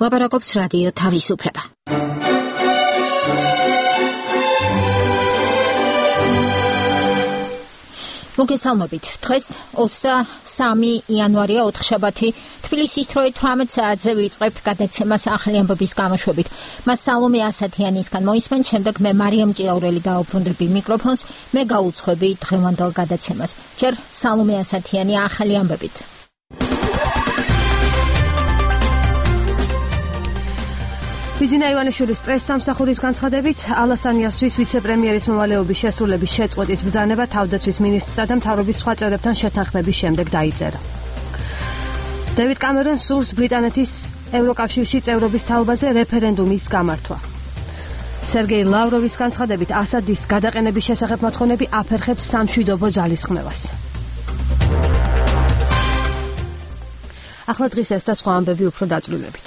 ლაპარაკობს რადიო თავისუფლება. მოგესალმებით. დღეს 23 იანვარია, ოთხშაბათი. თბილისის 18 საათზე ვიწყებთ გადაცემას ახალი ამბების გამოშვებით. მას სალომე ასათიანისგან მოისმენ, შემდეგ მე მარიამ ჭიაურელი დაუბრუნდები მიკროფონს, მე გაუძღვები დღევანდელ გადაცემას. ჯერ სალომე ასათიანი ახალი ამბებით. ბიძინა ივანიშვილის პრეს-სამსახურის განცხადებით, ალასანიასთვის ვიცე-პრემიერის მოვალეობის შესრულების შეწყვეტის ბრძანება თავდაცვის მინისტრთა და მთავრობის სხვა წევრებთან შეთანხმების შემდეგ დაიწერა. დევიდ კამერონს სურს ბრიტანეთის ევროკავშირში წევრობის თაობაზე რეფერენდუმის გამართვა. სერგეი ლავროვის განცხადებით, ასადის გადაყენების შესახებ მოთხოვნები აფერხებს სამშვიდობო ძალისხმევას. ახლა დღის ეს და სხვა ამბები უფრო დაწვრილებით.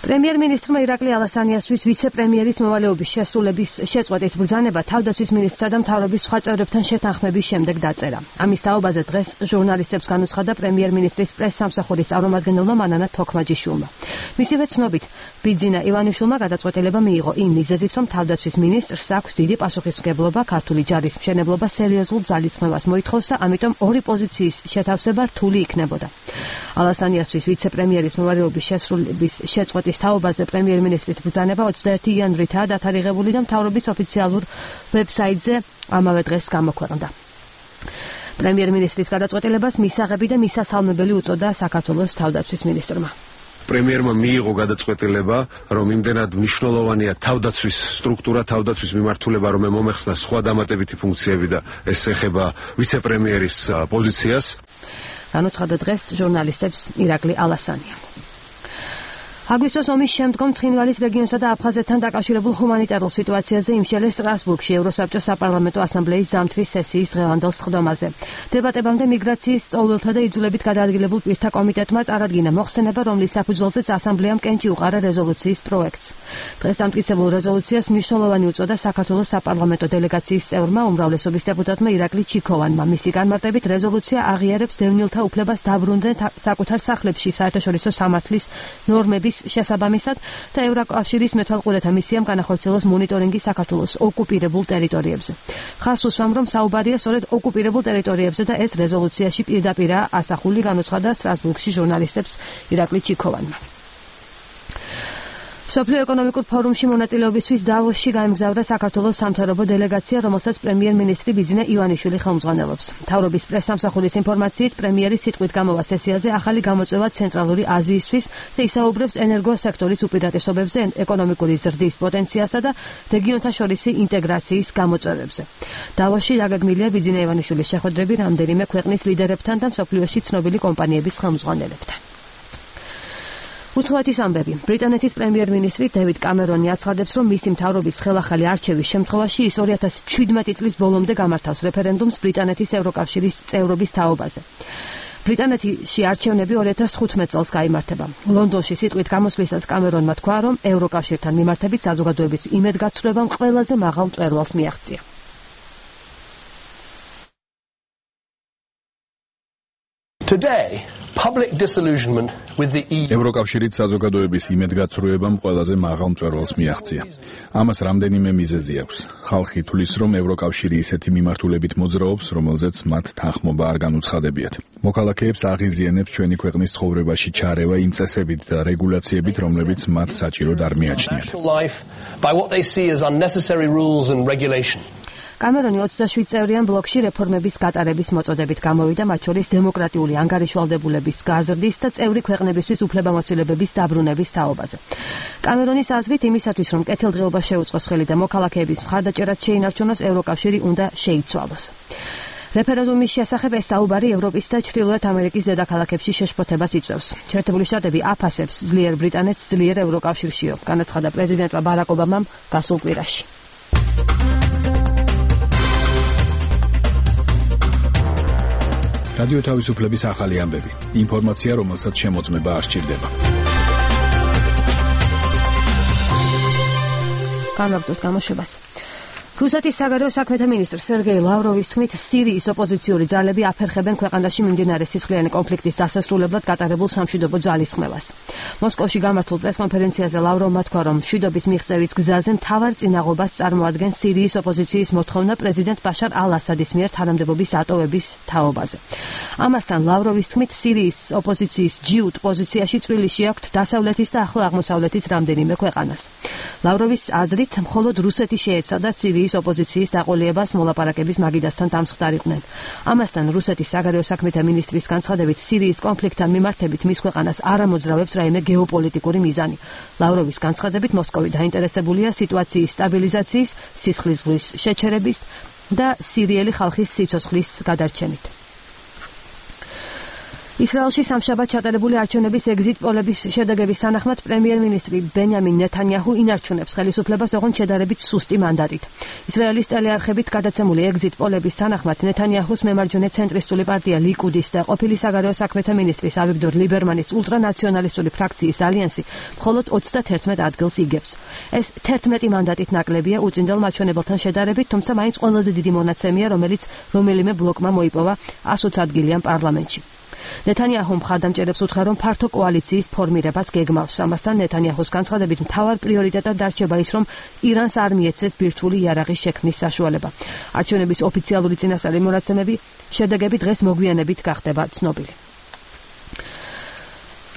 პრემიერ-მინისტრმა ირაკლი ალასანიასთვის ვიცე-პრემიერის მოვალეობის შესრულების შეწყვეტის ბრძანება თავდაცვის მინისტრთა და მთავრობის სხვა წევრებთან შეთანხმების შემდეგ დაწერა. ამის თაობაზე დღეს ჟურნალისტებს განუცხადა პრემიერ-მინისტრის პრეს-სამსახურის წარმომადგენელმა მანანა თოქმაჯიშვილმა. მისივე ცნობით, ბიძინა ივანიშვილმა გადაწყვეტილება მიიღო იმ მიზეზით, რომ თავდაცვის მინისტრს აქვს დიდი პასუხისმგებლობა ქართული ჯარის მშენებლობა სერიოზულ ძალისხმევას მოითხოვს და ამიტომ ორი პოზიციის შეთავსება რთული იქნებოდა. ალასანიასთვის ვიცე-პრემიერის მოვალეობის შესრულების შეწყვეტის თაობაზე პრემიერ-მინისტრის ბრძანება 21 იანვრითაა დათარიღებული და მთავრობის ოფიციალურ ვებსაიტზე ამავე დღეს გამოქვეყნდა. პრემიერ-მინისტრის გადაწყვეტილებას მისაღები და მისასალმებელი უწოდა საქართველოს თავდაცვის მინისტრმა. პრემიერმა მიიღო გადაწყვეტილება, რომ იმდენად მნიშვნელოვანია თავდაცვის სტრუქტურა, თავდაცვის მიმართულება, რომ მომეხსნა სხვა დამატებითი ფუნქციები და ეს ეხება ვიცე-პრემიერის პოზიციას. განუცხადა დღეს ჟურნალისტებს ირაკლი ალასანია. აგვისტოს ომის შემდგომ ცხინვალის რეგიონსა და აფხაზეთთან დაკავშირებულ ჰუმანიტარულ სიტუაციაზე იმშელეს სტრასბურგში ევროსაბჭოს საპარლამენტო ასამბლეის ზამთრის სესიის დღევანდელ სხდომაზე. დებატებამდე მიგრაციის სწავლულთა და იძულებით გადაადგილებულ პირთა კომიტეტმა წარადგინა მოხსენება, რომლის საფუძველზეც ასამბლეამ კენჭი უყარა რეზოლუციის პროექტს. დღეს დამტკიცებულ რეზოლუციას მნიშვნელოვანი უწოდა საქართველოს საპარლამენტო დელეგაციის წევრმა უმრავლესობის დეპუტატმა ირაკლი ჩიქოვანმა. მისი განმარტებით რეზოლუცია აღიარებს დევნილთა უფლებას დაბრუნდნენ საკუთარ სახლებში საერთაშორისო სამართლის ნორმების შესაბამისად და ევროკავშირის მეთვალყურეთა მისიამ განახორციელოს მონიტორინგი საქართველოს ოკუპირებულ ტერიტორიებზე. ხაზს უსვამ, რომ საუბარია სწორედ ოკუპირებულ ტერიტორიებზე და ეს რეზოლუციაში პირდაპირაა ასახული, განუცხადა სტრასბურგში ჟურნალისტებს ირაკლი ჩიქოვანმა. მსოფლიო ეკონომიკურ ფორუმში მონაწილეობისთვის დავოსში გაემგზავრა საქართველოს სამთავრობო დელეგაცია, რომელსაც პრემიერ-მინისტრი ბიძინა ივანიშვილი ხელმძღვანელობს. მთავრობის პრეს-სამსახურის ინფორმაციით, პრემიერის სიტყვით გამოვა სესიაზე ახალი გამოწვევა ცენტრალური აზიისთვის და ისაუბრებს ენერგოსექტორის უპირატესობებზე, ეკონომიკური ზრდის პოტენციალსა და რეგიონთა შორისი ინტეგრაციის გამოწვევებზე. დავოსში დაგეგმილია ბიძინა ივანიშვილის შეხვედრები რამდენიმე ქვეყნის ლიდერებთან და მსოფლიოში ცნობილი კომპანიების ხელმძღვანელებთან. უცხოეთის ამბები. ბრიტანეთის პრემიერ-მინისტრი დევიდ კამერონი აცხადებს, რომ მისი მთავრობის ხელახალი არჩევის შემთხვევაში ის 2017 წლის ბოლომდე გამართავს რეფერენდუმს ბრიტანეთის ევროკავშირის წევრობის თაობაზე. ბრიტანეთში არჩევნები 2015 წელს გაიმართება. ლონდონში სიტყვით გამოსვლისას კამერონმა თქვა, რომ ევროკავშირთან მიმართებით საზოგადოების იმედგაცრუებამ ყველაზე მაღალ მწვერვალს მიაღწია. Today, public disillusionment with the EU. ევროკავშირის საზოგადოების იმედგაცრუებამ ყველაზე მაღალ მწვერვალს მიაღწია. ამას რამდენიმე მიზეზი აქვს. ხალხი თulis, რომ ევროკავშირი ისეთი მიმართულებით მოძრაობს, რომელზეც მათ თანხმობა არ განუცხადებიათ. მოქალაქეებს აღიზიანებს ჩვენი ქვეყნის ცხოვრებაში ჩარევა იმ წესებით და რეგულაციებით, რომლებიც მათ საჭიროდ არ მიაჩნიათ. By what they see as unnecessary rules and regulation. კამერონი 27 წევრიან ბლოკში რეფორმების გატარების მოწოდებით გამოვიდა, მათ შორის დემოკრატიული ანგარიშვალდებულების გაზრდის და წევრი ქვეყნებისთვის უფლებამოსილებების დაბრუნების თაობაზე. კამერონის აზრით, იმისათვის, რომ კეთილდღეობა შეუწყოს ხელი და მოქალაქეების მხარდაჭერაც შეინარჩუნოს, ევროკავშირი უნდა შეიცვალოს. რეფერენდუმის შესახებ ეს საუბარი ევროპის და ჩრდილოეთ ამერიკის დედაქალაქებში შეშფოთებას იწვევს. შეერთებული შტატები აფასებს ძლიერ ბრიტანეთს ძლიერ ევროკავშირშიო, განაცხადა პრეზიდენტმა ბარაკ ობამამ გასულ კვირაში. რადიო თავისუფლების ახალი ამბები. ინფორმაცია, რომელსაც შემოწმება არ სჭირდება. განვაგრძოთ გამოშვებას. რუსეთის საგარეო საქმეთა მინისტრ სერგეი ლავროვის თქმით, სირიის ოპოზიციური ძალები აფერხებენ ქვეყანაში მიმდინარე სისხლიანი კონფლიქტის დასასრულებლად გატარებულ სამშვიდობო ძალისხმევას. მოსკოვში გამართულ პრესკონფერენციაზე ლავროვმა თქვა, რომ მშვიდობის მიღწევის გზაზე მთავარ წინაღობას წარმოადგენს სირიის ოპოზიციის მოთხოვნა პრეზიდენტ ბაშარ ალ-ასადის მიერ თანამდებობის ატოვების თაობაზე. ამასთან ლავროვის თქმით, სირიის ოპოზიციის ჯიუტ პოზიციაში წვრილი შეაქვთ დასავლეთის და ახლო აღმოსავლეთის რამდენიმე ქვეყანას. ლავროვის აზრით, მხოლოდ რუსეთი შეეცადა სირიის ოპოზიციის დაყოლებას მოლაპარაკების მაგიდასთან დამსხდარიყვნენ. ამასთან რუსეთის საგარეო საქმეთა მინისტრის განცხადებით, სირიის კონფლიქტთან მიმართებით მის ქვეყანას არ ამოძრავებს რაიმე გეოპოლიტიკური მიზანი. ლავროვის განცხადებით, მოსკოვი დაინტერესებულია სიტუაციის სტაბილიზაციის, სისხლის ზღვის შეჩერების და სირიელი ხალხის სიცოცხლის გადარჩენით. ისრაელში სამშაბათ ჩატარებული არჩევნების ეგზიტ პოლების შედეგების თანახმად პრემიერ-მინისტრი ბენიამინ ნეთანიაჰუ ინარჩუნებს ხელისუფლებას ოღონდ შედარებით სუსტი მანდატით. ისრაელის ტელეარხებით გადაცემული ეგზიტ პოლების თანახმად ნეთანიაჰუს მემარჯვენე ცენტრისტული პარტია ლიკუდის და ყოფილი საგარეო საქმეთა მინისტრის ავიგდორ ლიბერმანის ულტრანაციონალისტური ფრაქციის ალიანსი მხოლოდ 31 ადგილს იგებს. ეს 11 მანდატით ნაკლებია უწინდელ მაჩვენებელთან შედარებით, თუმცა მაინც ყველაზე დიდი მონაცემია, რომელიმე ბლოკმა მოიპოვა 120 ადგილიან პარლამენტში. ნეთანიაჰუ მხარდამჭერებს უთხრა, რომ ფართო კოალიციის ფორმირებას გეგმავს. ამასთან ნეთანიაჰუს განცხადებით, მთავარ პრიორიტეტად დარჩება ის, რომ ირანს არ მიეცეს ბირთვული იარაღის შექმნის საშუალება. არჩევნების ოფიციალური წინასწარი მონაცემები შედეგები დღეს მოგვიანებით გახდება ცნობილი.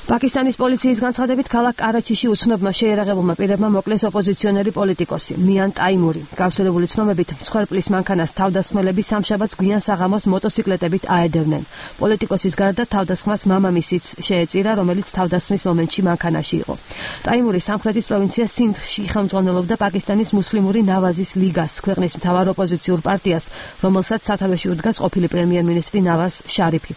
პაკისტანის პოლიციის განცხადებით, ქალაქ კარაჩიში უცნობმა შეიარაღებულმა პირებმა მოკლეს ოპოზიციონერი პოლიტიკოსი მიან ტაიმური. გავრცელებული ცნობებით, მსხვერპლის მანქანას თავდასხმელები სამშაბათს გვიან საღამოს მოტოციკლეტებით აედევნენ. პოლიტიკოსის გარდა თავდასხმას მამამისიც შეეწირა, რომელიც თავდასხმის მომენტში მანქანაში იყო. ტაიმური სამხრეთის პროვინცია სინდში ხელმძღვანელობდა პაკისტანის მუსლიმური ნავაზის ლიგას, ქვეყნის მთავარ ოპოზიციურ პარტიას, რომელსაც სათავეში უდგას ყოფილი პრემიერ-მინისტრი ნავაზ შარიფი.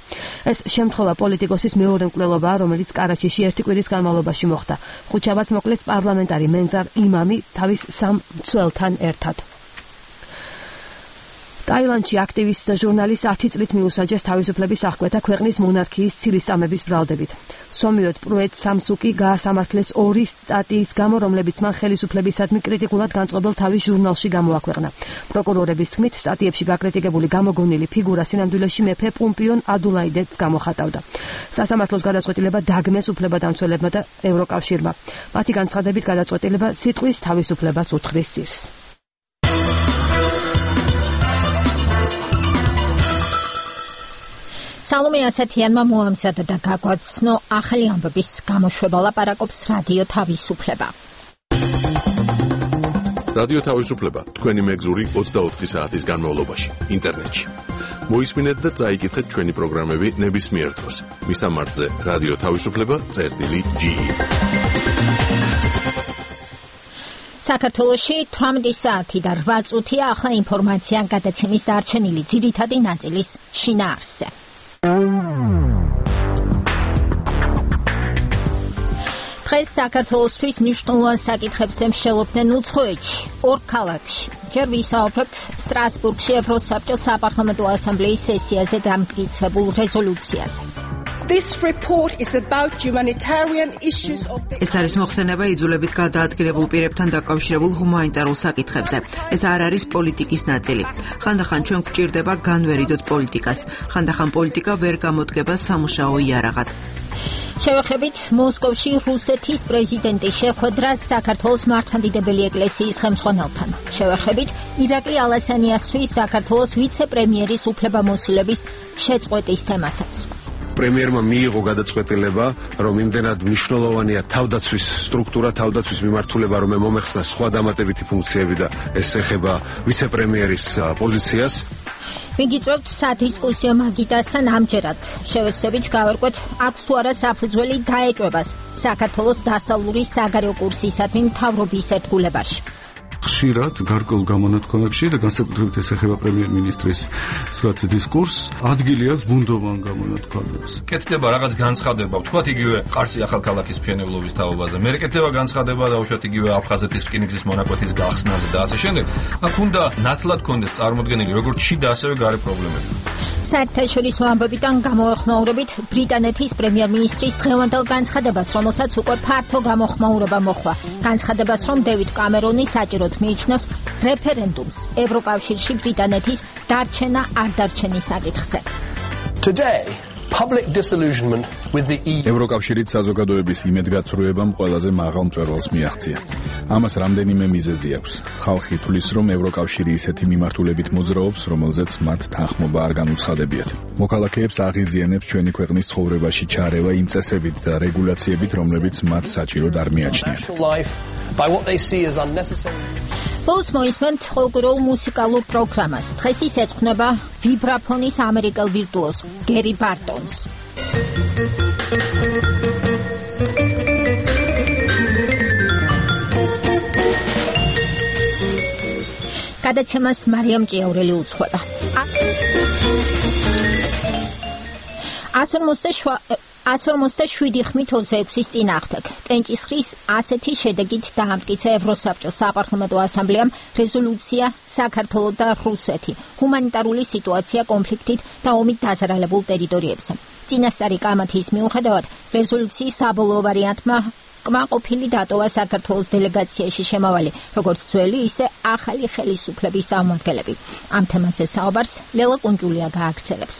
ეს შემთხვევა პოლიტიკოსის მეორე მკვლელობაა, რომელიც კარაჩიში ერთი კვირის განმავლობაში მოხდა. ხუთშაბათს მოკლეს პარლამენტარი მენზარ იმამი თავის 3 მცველთან ერთად. ტაილანდში აქტივისტ ჟურნალისტ 10 წლით მიუსაჯეს თავისუფლების აღკვეთა ქვეყნის მონარქიის ცილისწამების ბრალდებით. სომიოთ პროეთ სამსუკი გაასამართლეს 2 სტატიის გამო, რომლებიც მან ხელისუფლებისადმი კრიტიკულად განწყობილ თავის ჟურნალში გამოაქვეყნა. პროკურორების თქმით, სტატიებში გაკრიტიკებული გამოგონილი ფიგურა სინამდვილეში მეფე პუმპიონ ადულაიდეც გამოხატავდა. სასამართლოს გადაწყვეტილება დაგმეს უფლებადამცველებმა და ევროკავშირმა. მათი განცხადებით გადაწყვეტილება სიტყვის თავისუფლებას უთხრის სირს. სალომე ასათიანმა მოამზადა და გაგვაცნო ახალი ამბების გამოშვება, ლაპარაკობს რადიო თავისუფლება. რადიო თავისუფლება თქვენი მეგზური 24 საათის განმავლობაში ინტერნეტში. მოისმინეთ და წაიკითხეთ ჩვენი პროგრამები ნებისმიერ დროს. მისამართზე რადიო თავისუფლება.ge. საქართველოში 18 საათი და 8 წუთია ახლა ინფორმაცია გადაცემის დარჩენილი ძირითადი ნაწილის შინაარსზე. დღეს საქართველოსთვის მნიშვნელოვან საკითხებს ემშელობდნენ უცხოეთში, 2 ქალაქში. ჯერ ვისაუბრებთ სტრასბურგში ევროსაბჭოს საპარლამენტო ასამბლეის სესიაზე დამტკიცებულ რეზოლუციაზე. This report is about humanitarian issues of the ეს არის მოხსენება იძულებით გადაადგილებულ პირებთან დაკავშირებულ ჰუმანიტარულ საკითხებზე. ეს არ არის პოლიტიკის ნაწილი. ხანდახან ჩვენ გვჭირდება განვერიდოთ პოლიტიკას. ხანდახან პოლიტიკა ვერ გამოდგება სამუშაო იარაღად. შევეხებით მოსკოვში რუსეთის პრეზიდენტის შეხვედრას საქართველოს მართლმადიდებელი ეკლესიის ხელმძღვანელთან. შევეხებით ირაკლი ალასანიასთვის საქართველოს ვიცე-პრემიერის უფლებამოსილების შეწყვეტის თემასაც. პრემიერმა მიიღო გადაწყვეტილება, რომ იმდენად მნიშვნელოვანია თავდაცვის სტრუქტურა, თავდაცვის მიმართულება, რომ მომეხსნა სხვა დამატებითი ფუნქციები და ეს ეხება ვიცე-პრემიერის პოზიციას. მიგიწევთ სადისკუსიო მაგიდასთან ამჯერად. შევეცდებით გავერკვეთ, აქვს თუ არა საფუძველი დაეჭვებას საქართველოს დასავლური საგარეო კურსისადმი მთავრობის ერთგულებაში. ხშირად გარკვეულ გამონათქვამებში და განსაკუთრებით ეს ეხება პრემიერ-მინისტრის სულ დისკურსს, ადგილი აქვს ბუნდოვან გამონათქვამებს. კეთდება რაღაც განცხადება, ვთქვათ იგივე ყარსი ახალქალაქის მშენებლობის თაობაზე. მე კეთდება განცხადება დაუშვათ იგივე აფხაზეთის რკინიგზის მონაკვეთის გახსნაზე და ასე შემდეგ. აქ უნდა ნათლად კონდეს წარმოდგენილი როგორც შიდა ასევე გარე პრობლემები. საერთაშორისო ამბებიდან გამოეხმაურებით ბრიტანეთის პრემიერ-მინისტრის დღევანდელ განცხადებას, რომელსაც უკვე ფართო გამოხმაურება მოჰყვა. განცხადებას, რომ დევიდ კამერონი საჭიროდ მიიჩნევს რეფერენდუმს ევროკავშირში ბრიტანეთის დარჩენა არ დარჩენის საკითხზე. Today, public disillusionment with the EU. ევროკავშირით საზოგადოების იმედგაცრუებამ ყველაზე მაღალ მწვერვალს მიაღწია. ამას რამდენიმე მიზეზი აქვს. ხალხი თვლის, რომ ევროკავშირი ისეთი მიმართულებით მოძრაობს, რომელზეც მათ თანხმობა არ განუცხადებიათ. მოქალაქეებს აღიზიანებს ჩვენი ქვეყნის ცხოვრებაში ჩარევა იმ წესებით და რეგულაციებით, რომლებიც მათ საჭიროდ არ მიაჩნიათ. By what they see as unnecessary. ბოლოს მოისმენთ ყოველკვირეულ მუსიკალურ პროგრამას. დღეს ის ეძღვნება ვიბრაფონის ამერიკელ ვირტუოზ გერი ბარტონს. გადაცემას მარიამ ჭიაურელი უძღვება. 157 ხმით 26-ის წინააღმდეგ. ტენჭისხლის ასეთი შედეგით დაამტკიცა ევროსაბჭოს საპარლამენტო ასამბლეამ რეზოლუცია საქართველო და რუსეთი. ჰუმანიტარული სიტუაცია კონფლიქტით და ომით დაზარალებულ ტერიტორიებზე. წინასწარი კამათის მიუხედავად რეზოლუციის საბოლოო ვარიანტმა კმაყოფილი დატოვა საქართველოს დელეგაციაში შემავალი, როგორც ძველი, ისე ახალი ხელისუფლების წარმომადგენლები. ამ თემაზე საუბარს ლელა კუნჯულია გააგრძელებს.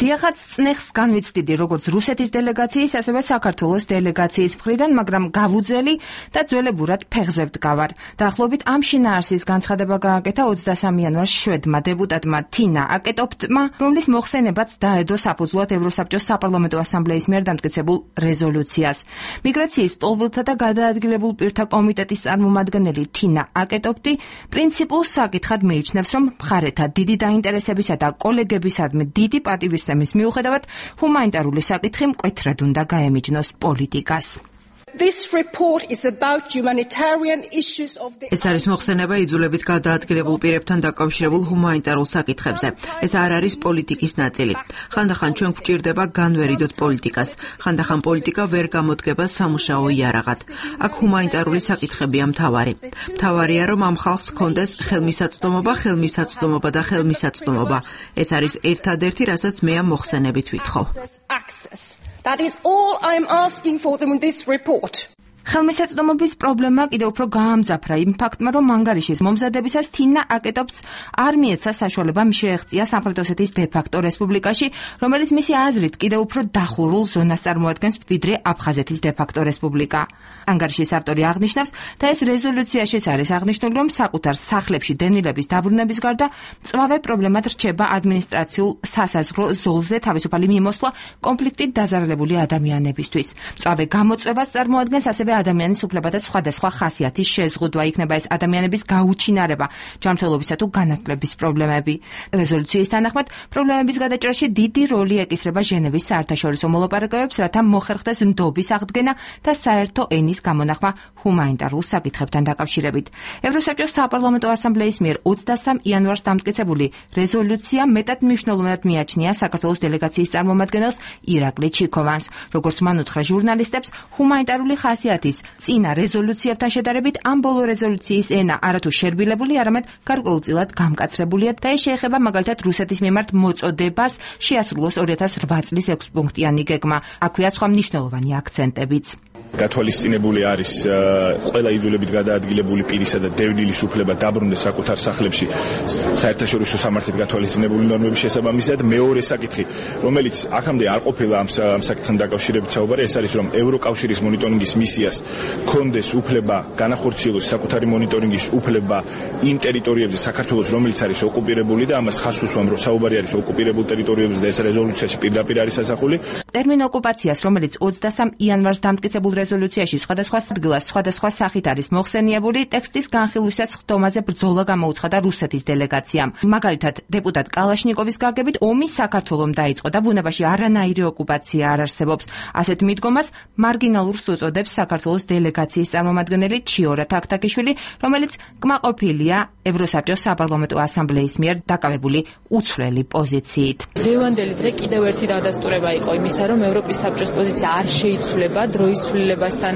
დიახაც წნეხს განვიცდიდი როგორც რუსეთის დელეგაციის, ასევე საქართველოს დელეგაციის მხრიდან, მაგრამ გავუძელი და ძველებურად ფეხზე ვდგავარ. დაახლოებით ამ შინაარსის განცხადება გააკეთა 23 იანვარს შვედმა დეპუტატმა თინა აკეტოპტმა, რომლის მოხსენებაც დაედო საფუძვლად ევროსაბჭოს საპარლამენტო ასამბლეის მიერ დამტკიცებულ რეზოლუციას. მიგრაციის სტოლთა და გადაადგილებულ პირთა კომიტეტის წარმომადგენელი თინა აკეტოპტი პრინციპულ საკითხად მიიჩნევს, რომ მხარეთა დიდი დაინტერესებისა და კოლეგებისადმი დიდი პატივისცემის მიუხედავად ჰუმანიტარული საკითხი მკვეთრად უნდა გაემიჯნოს პოლიტიკას. This report is about humanitarian issues of the ეს არის მოხსენება იძულებით გადაადგილებულ პირებთან დაკავშირებულ ჰუმანიტარულ საკითხებზე. ეს არ არის პოლიტიკის ნაწილი. ხანდახან ჩვენ გვჭირდება განვერიდოთ პოლიტიკას. ხანდახან პოლიტიკა ვერ გამოდგება სამუშაო იარაღად. აქ ჰუმანიტარული საკითხებია მთავარი. მთავარია, რომ ამ ხალხს ჰქონდეს ხელმისაწვდომობა და ხელმისაწვდომობა. ეს არის ერთადერთი, რასაც მე ამ მოხსენებით ვითხოვ. That is all I am asking for them in this report. ხელმისაწვდომობის პრობლემა კიდევ უფრო გაამძაფრა იმ ფაქტმა, რომ ანგარიშის მომზადებისას თინა აკეტოპტს არ მიეცა საშუალება შეეღწია სამხრეთ-ოსეთის დე-ფაქტო რესპუბლიკაში, რომელიც მისი აზრით კიდევ უფრო დახურულ ზონას წარმოადგენს, ვიდრე აფხაზეთის დე-ფაქტო რესპუბლიკა. ანგარიშის ავტორი აღნიშნავს და ეს რეზოლუციაშიც არის აღნიშნული, რომ საკუთარ სახლებში დევნილების დაბრუნების გარდა მწვავე პრობლემად რჩება ადმინისტრაციულ სასაზღვრო ზოლზე თავისუფალი მიმოსვლა კონფლიქტით დაზარალებული ადამიანებისთვის. მწვავე გამოწვევას წარმოადგენს ასევე ადამიანის უფლებათა სხვადასხვა ხასიათის შეზღუდვა, იქნება ეს ადამიანების გაუჩინარება, ჯანმრთელობისა თუ განათლების პრობლემები. რეზოლუციის თანახმად, პრობლემების გადაჭრაში დიდი როლი ეკისრება ჟენევის საერთაშორისო მოლაპარაკებებს, რათა მოხერხდეს ნდობის აღდგენა და საერთო ენის გამონახვა ჰუმანიტარულ საკითხებთან დაკავშირებით. ევროსაბჭოს საპარლამენტო ასამბლეის მიერ 23 იანვარს დამტკიცებული რეზოლუცია მეტად მნიშვნელოვნად მიაჩნია საქართველოს დელეგაციის წარმომადგენელს ირაკლი ჩიქოვანს. როგორც მან უთხრა ჟურნალისტებს, ჰუმანიტარული ხასიათის წინა რეზოლუციებთან შედარებით ამ ბოლო რეზოლუციის ენა არათუ შერბილებული, არამედ გარკვეულწილად გამკაცრებულია და ეს შეეხება მაგალითად რუსეთის მიმართ მოწოდებას შეასრულოს 2008 წლის 6 პუნქტიანი გეგმა. აქვეა სხვა მნიშვნელოვანი აქცენტებიც. გათვალისწინებული არის ყველა იძულებით გადაადგილებული პირისა და დევნილის უფლება დაბრუნდეს საკუთარ სახლებში საერთაშორისო სამართლით გათვალისწინებული ნორმების შესაბამისად. მეორე საკითხი, რომელიც აქამდე არ ყოფილა ამ საკითხთან დაკავშირებით საუბარი, ეს არის, რომ ევროკავშირის მონიტორინგის მისიას კონდეს უფლება განახორციელოს საკუთარი მონიტორინგის უფლება იმ ტერიტორიებზე საქართველოს, რომელიც არის ოკუპირებული და ამას ხაზს უსვამ, რომ საუბარი არის ოკუპირებულ ტერიტორიებზე და ეს რეზოლუციაში პირდაპირ არის ასახული. ტერმინ ოკუპაციას, რომელიც 23 იანვარს დამტკიცებულ რეზოლუციაში სხვადასხვა ადგილას სხვადასხვა სახით არის მოხსენიებული, ტექსტის განხილვისას ხდომაზე ბრძოლა გამოუცხადა რუსეთის დელეგაციამ. მაგალითად, დეპუტატ კალაშნიკოვის გაგებით ომი საქართველომ დაიწყო და ბუნებაში არანაირი ოკუპაცია არ არსებობს. ასეთ მიდგომას მარგინალურს უწოდებს საქართველოს დელეგაციის წარმომადგენელი ჩიორა თაქთაქიშვილი, რომელიც კმაყოფილია ევროსაბჭოს საპარლამენტო ასამბლეის მიერ დაკავებული უცვლელი პოზიციით. დღევანდელი დღე კიდევ ერთი დადასტურება იყო იმისა, რომ ევროპის საბჭოს პოზიცია არ შეიცვლება დროის ცვლილების მიმართულებასთან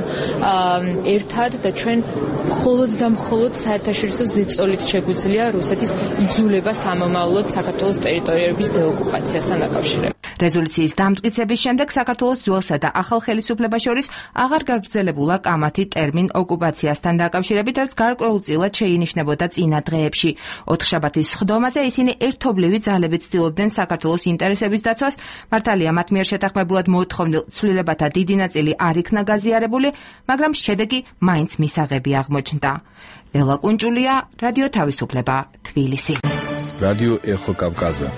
ერთად და ჩვენ მხოლოდ და მხოლოდ საერთაშორისო ზეწოლით შეგვიძლია რუსეთის იძულება სამომავლოდ საქართველოს ტერიტორიების დეოკუპაციასთან დაკავშირებით. რეზოლუციის დამტკიცების შემდეგ საქართველოს ძველსა და ახალ ხელისუფლებას შორის აღარ გაგრძელებულა კამათი ტერმინ ოკუპაციასთან დაკავშირებით, რაც გარკვეულწილად შეინიშნებოდა წინა დღეებში. ოთხშაბათის სხდომაზე ისინი ერთობლივი ძალებით ცდილობდნენ საქართველოს ინტერესების დაცვას. მართალია, მათ მიერ შეთანხმებულად მოთხოვნილ ცვლილებათა დიდი ნაწილი არ იქნა გაზიარებული, მაგრამ შედეგი მაინც მისაღები აღმოჩნდა. ელვა კუნჭულია, რადიო თავისუფლება, თბილისი. რადიო ეხო კავკაზა.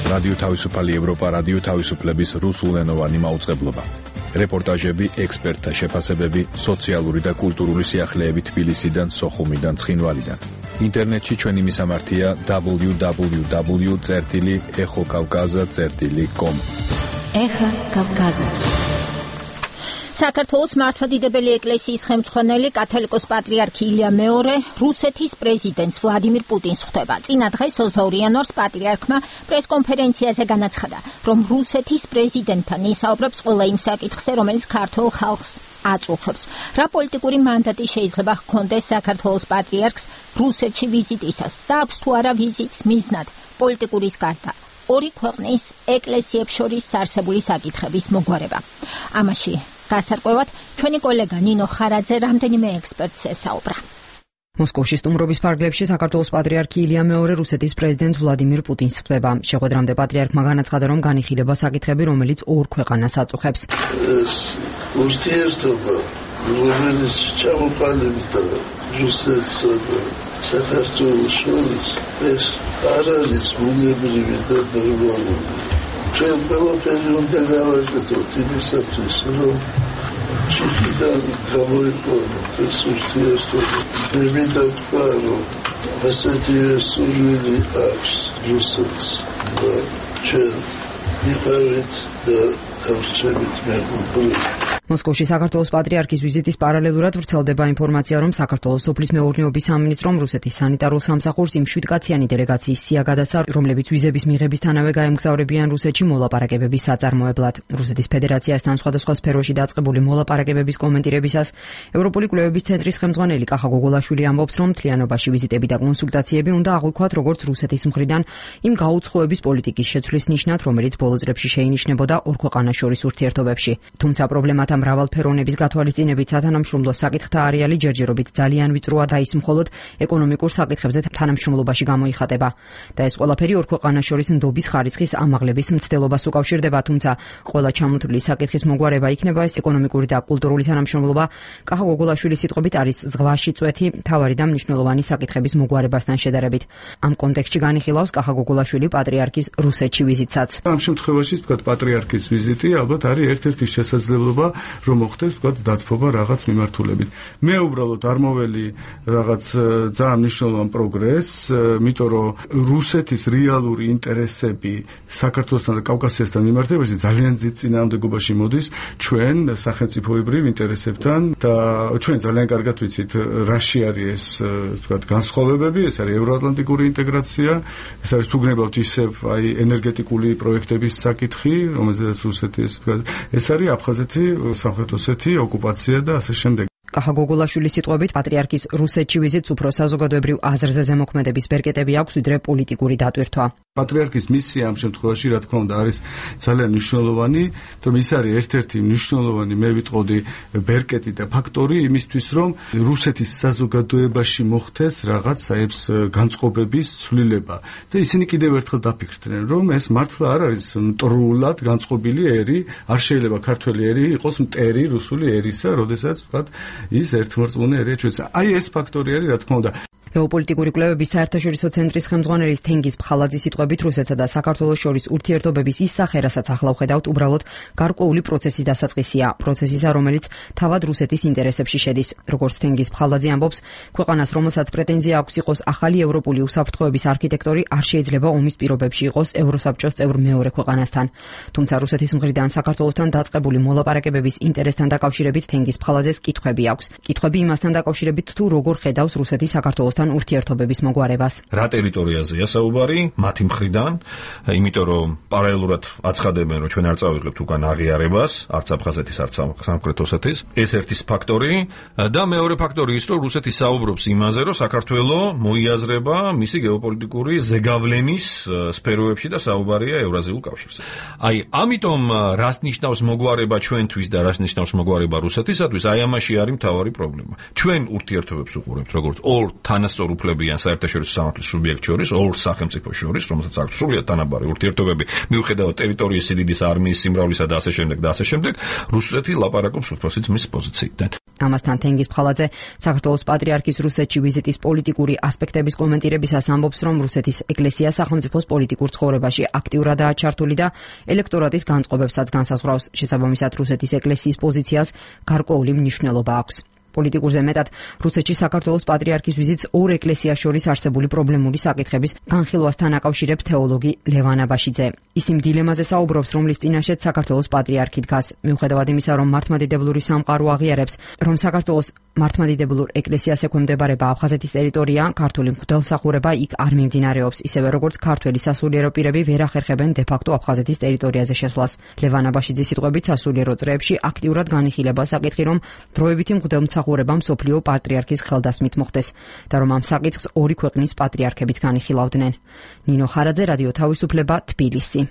რადიო თავისუფალი ევროპა, რადიო თავისუფლების რუსულენოვანი მაუწყებლობა. რეპორტაჟები, ექსპერტთა შეფასებები, სოციალური და კულტურული სიახლეები თბილისიდან, სოხუმიდან, ცხინვალიდან. ინტერნეტში ჩვენი მისამართია www.exokavkaza.com. ეხა კავკაზა. საქართველოს მართლმადიდებელი ეკლესიის ხელმძღვანელი კათოლიკოს პატრიარქი ილია მეორე რუსეთის პრეზიდენტს ვლადიმირ პუტინს ხვდება. წინა დღეს 22 იანვარს პატრიარქმა პრესკონფერენციაზე განაცხადა, რომ რუსეთის პრეზიდენტთან ისაუბრებს ყველა იმ საკითხზე, რომელიც ქართულ ხალხს აწუხებს. რა პოლიტიკური მანდატი შეიძლება ჰქონდეს საქართველოს პატრიარქს რუსეთში ვიზიტისას და აქვს თუ არა ვიზიტს მიზნად პოლიტიკურის გარდა ორი ქვეყნის ეკლესიებს შორის არსებული საკითხების მოგვარება. ამაში გასარკვევად ჩვენი კოლეგა ნინო ხარაძე რამდენიმე ექსპერტს ესაუბრა. მოსკოვში სტუმრობის ფარგლებში საქართველოს პატრიარქი ილია მეორე რუსეთის პრეზიდენტ ვლადიმირ პუტინს ხვდება. შეხვედრამდე პატრიარქმა განაცხადა, რომ განიხილება საკითხები, რომელიც ორ ქვეყანას აწუხებს. ეს ურთიერთობა, რომელიც ჩამოყალიბდა რუსეთსა და საქართველოს შორის, ეს არ არის ბუნებრივი და ნორმალური. ჩვენ ყველაფერი უნდა გავაკეთოთ იმისათვის, რომ ჩიხიდან გამოიყვანოთ ეს ურთიერთობა. მე მინდა ვთქვა, რომ ასეთი სურვილი აქვს რუსეთს და ჩვენ ვიყავით და დავრჩებით მეგობრები. მოსკოვში საქართველოს პატრიარქის ვიზიტის პარალელურად ვრცელდება ინფორმაცია, რომ საქართველოს სოფლის მეურნეობის სამინისტრომ რუსეთის სანიტარულ სამსახურს იმ 7-კაციანი დელეგაციის სია გადასცა, რომლებიც ვიზების მიღებისთანავე გაემგზავრებიან რუსეთში მოლაპარაკებების საწარმოებლად. რუსეთის ფედერაციასთან სხვადასხვა სფეროში დაწყებული მოლაპარაკებების კომენტირებისას ევროპული კვლევების ცენტრის ხელმძღვანელი კახა გოგოლაშვილი ამბობს, რომ მთლიანობაში ვიზიტები და კონსულტაციები უნდა აღვიქვათ როგორც რუსეთის მხრიდან იმ გაუცხოების პოლიტიკის შეცვლის ნიშნად, რომელიც ბოლო წლებში შეინიშნებოდა ორ ქვეყანას შორის ურთიერთობებში. თუმცა პრობლემათა მრავალფეროვნების გათვალისწინებით სათანამშრომლო საკითხთა არეალი ჯერჯერობით ძალიან ვიწროა და ის მხოლოდ ეკონომიკურ საკითხებზე თანამშრომლობაში გამოიხატება. და ეს ყველაფერი ორ ქვეყანას შორის ნდობის ხარისხის ამაღლების მცდელობას უკავშირდება, თუმცა ყველა ჩამოთვლილი საკითხის მოგვარება იქნება ეს ეკონომიკური და კულტურული თანამშრომლობა. კახა გოგოლაშვილის სიტყვებით არის ზღვაში წვეთი მთავარი და მნიშვნელოვანი საკითხების მოგვარებასთან შედარებით. ამ კონტექსტში განიხილავს კახა გოგოლაშვილი პატრიარქის რუსეთში ვიზიტსაც. ამ შემთხვევაში თქვა პატრიარქის ვიზიტი ალბათ არის ერთ-ერთი შესაძლებლობა, რომ მოხდეს თქვა დათბობა რაღაც მიმართულებით. მე უბრალოდ არ მოველი რაღაც ძალიან მნიშვნელოვან პროგრესს, იმიტომ რომ რუსეთის რეალური ინტერესები საქართველოსთან და კავკასიასთან მიმართებაში ძალიან დიდ წინააღმდეგობაში მოდის ჩვენ სახელმწიფოებრივ ინტერესებთან და ჩვენ ძალიან კარგად ვიცით რაში არის ეს თქვა განსხვავებები, ეს არის ევროატლანტიკური ინტეგრაცია, ეს არის თუ გნებავთ ისევ აი ენერგეტიკული პროექტების საკითხი, რომელზეც რუსეთი თქვა ეს არის აფხაზეთი, სამხრეთ ოსეთი, ოკუპაცია და ასე შემდეგ. კახა გოგოლაშვილის სიტყვებით პატრიარქის რუსეთში ვიზიტს უფრო საზოგადოებრივ აზრზე ზემოქმედების ბერკეტები აქვს, ვიდრე პოლიტიკური დატვირთვა. პატრიარქის მისია ამ შემთხვევაში რა თქმა უნდა არის ძალიან მნიშვნელოვანი, რომ ის არის ერთ-ერთი მნიშვნელოვანი, მე ვიტყოდი, ბერკეტი და ფაქტორი იმისთვის, რომ რუსეთის საზოგადოებაში მოხდეს რაღაც საებს განწყობების ცვლილება. და ისინი კიდევ ერთხელ დაფიქრდნენ, რომ ეს მართლა არ არის მტრულად განწყობილი ერი, არ შეიძლება ქართველი ერი იყოს მტერი რუსული ერისა, როდესაც ვთქვათ ის ერთმორწმუნე ერია ჩვენს. აი ეს ფაქტორი არის, რა თქმა უნდა. გეოპოლიტიკური კვლევების საერთაშორისო ცენტრის ხელმძღვანელი თენგიზ ფხალაძის სიტყვებით რუსეთსა და საქართველოს შორის ურთიერთობების ის სახე, რასაც ახლა ვხედავთ, უბრალოდ გარკვეული პროცესის დასაწყისია, პროცესისა, რომელიც თავად რუსეთის ინტერესებში შედის. როგორც თენგიზ ფხალაძე ამბობს, ქვეყანას, რომელსაც პრეტენზია აქვს იყოს ახალი ევროპული უსაფრთხოების არქიტექტორი, არ შეიძლება ომის პირობებში იყოს ევროსაბჭოს წევრ მეორე ქვეყანასთან. თუმცა რუსეთის მხრიდან საქართველოსთან დაწყებული მოლაპარაკებების ინტერესთან დაკავშირებით თენგიზ ფხალაძეს კითხვები აქვს. კითხვები იმასთან დაკავშირებით, თუ როგორ ხედავს რუსეთი საქართველოსთან ერთმანეთთან ურთიერთობების მოგვარებას. რა ტერიტორიაზეა საუბარი მათი მხრიდან, იმიტომ რომ პარალელურად აცხადებენ, რომ ჩვენ არ წავიღებთ უკან აღიარებას, არც აფხაზეთის, არც სამხრეთ ოსეთის. ეს ერთი ფაქტორი და მეორე ფაქტორი ის, რომ რუსეთი საუბრობს იმაზე, რომ საქართველო მოიაზრება მისი გეოპოლიტიკური ზეგავლენის სფეროებში და საუბარია ევრაზიულ კავშირზე. აი, ამიტომ რას ნიშნავს მოგვარება ჩვენთვის და რას ნიშნავს მოგვარება რუსეთისათვის, აი ამაში არის მთავარი პრობლემა. ჩვენ ურთიერთობებს უყურებთ როგორც ორ თანასწორ უფლებიან საერთაშორისო სამართლის სუბიექტ შორის, ორ სახელმწიფო შორის, რომელსაც აქვს სრულიად თანაბარი ურთიერთობები, მიუხედავად ტერიტორიის სიდიდის, არმიის სიმრავლისა და ასე შემდეგ და ასე შემდეგ, რუსეთი ლაპარაკობს უფროსი ძმის პოზიციიდან. ამასთან თენგიზ ფხალაძე საქართველოს პატრიარქის რუსეთში ვიზიტის პოლიტიკური ასპექტების კომენტირებისას ამბობს, რომ რუსეთის ეკლესია სახელმწიფოს პოლიტიკურ ცხოვრებაში აქტიურადაა ჩართული და ელექტორატის განწყობებსაც განსაზღვრავს. შესაბამისად, რუსეთის ეკლესიის პოზიციას გარკვეული მნიშვნელობა აქვს. პოლიტიკურზე მეტად რუსეთში საქართველოს პატრიარქის ვიზიტს ორ ეკლესიას შორის არსებული პრობლემური საკითხების განხილვასთან აკავშირებს თეოლოგი ლევან აბაშიძე. ის იმ დილემაზე საუბრობს, რომლის წინაშეც საქართველოს პატრიარქი დგას. მიუხედავად იმისა, რომ მართლმადიდებლური სამყარო აღიარებს, რომ საქართველოს მართლმადიდებლურ ეკლესიას ექვემდებარება აფხაზეთის ტერიტორია, ქართული მღვდელმსახურება იქ არ მიმდინარეობს, ისევე როგორც ქართველი სასულიერო პირები ვერ ახერხებენ დე-ფაქტო აფხაზეთის ტერიტორიაზე შესვლას. ლევან აბაშიძის სიტყვებით, სასულიერო წრეებში აქტიურად განიხილება საკითხი, რომ დროებითი მღვდელმსახურება მსოფლიო პატრიარქის ხელდასმით მოხდეს და რომ ამ საკითხს ორი ქვეყნის პატრიარქებიც განიხილავდნენ. ნინო ხარაძე, რადიო თავისუფლება, თბილისი.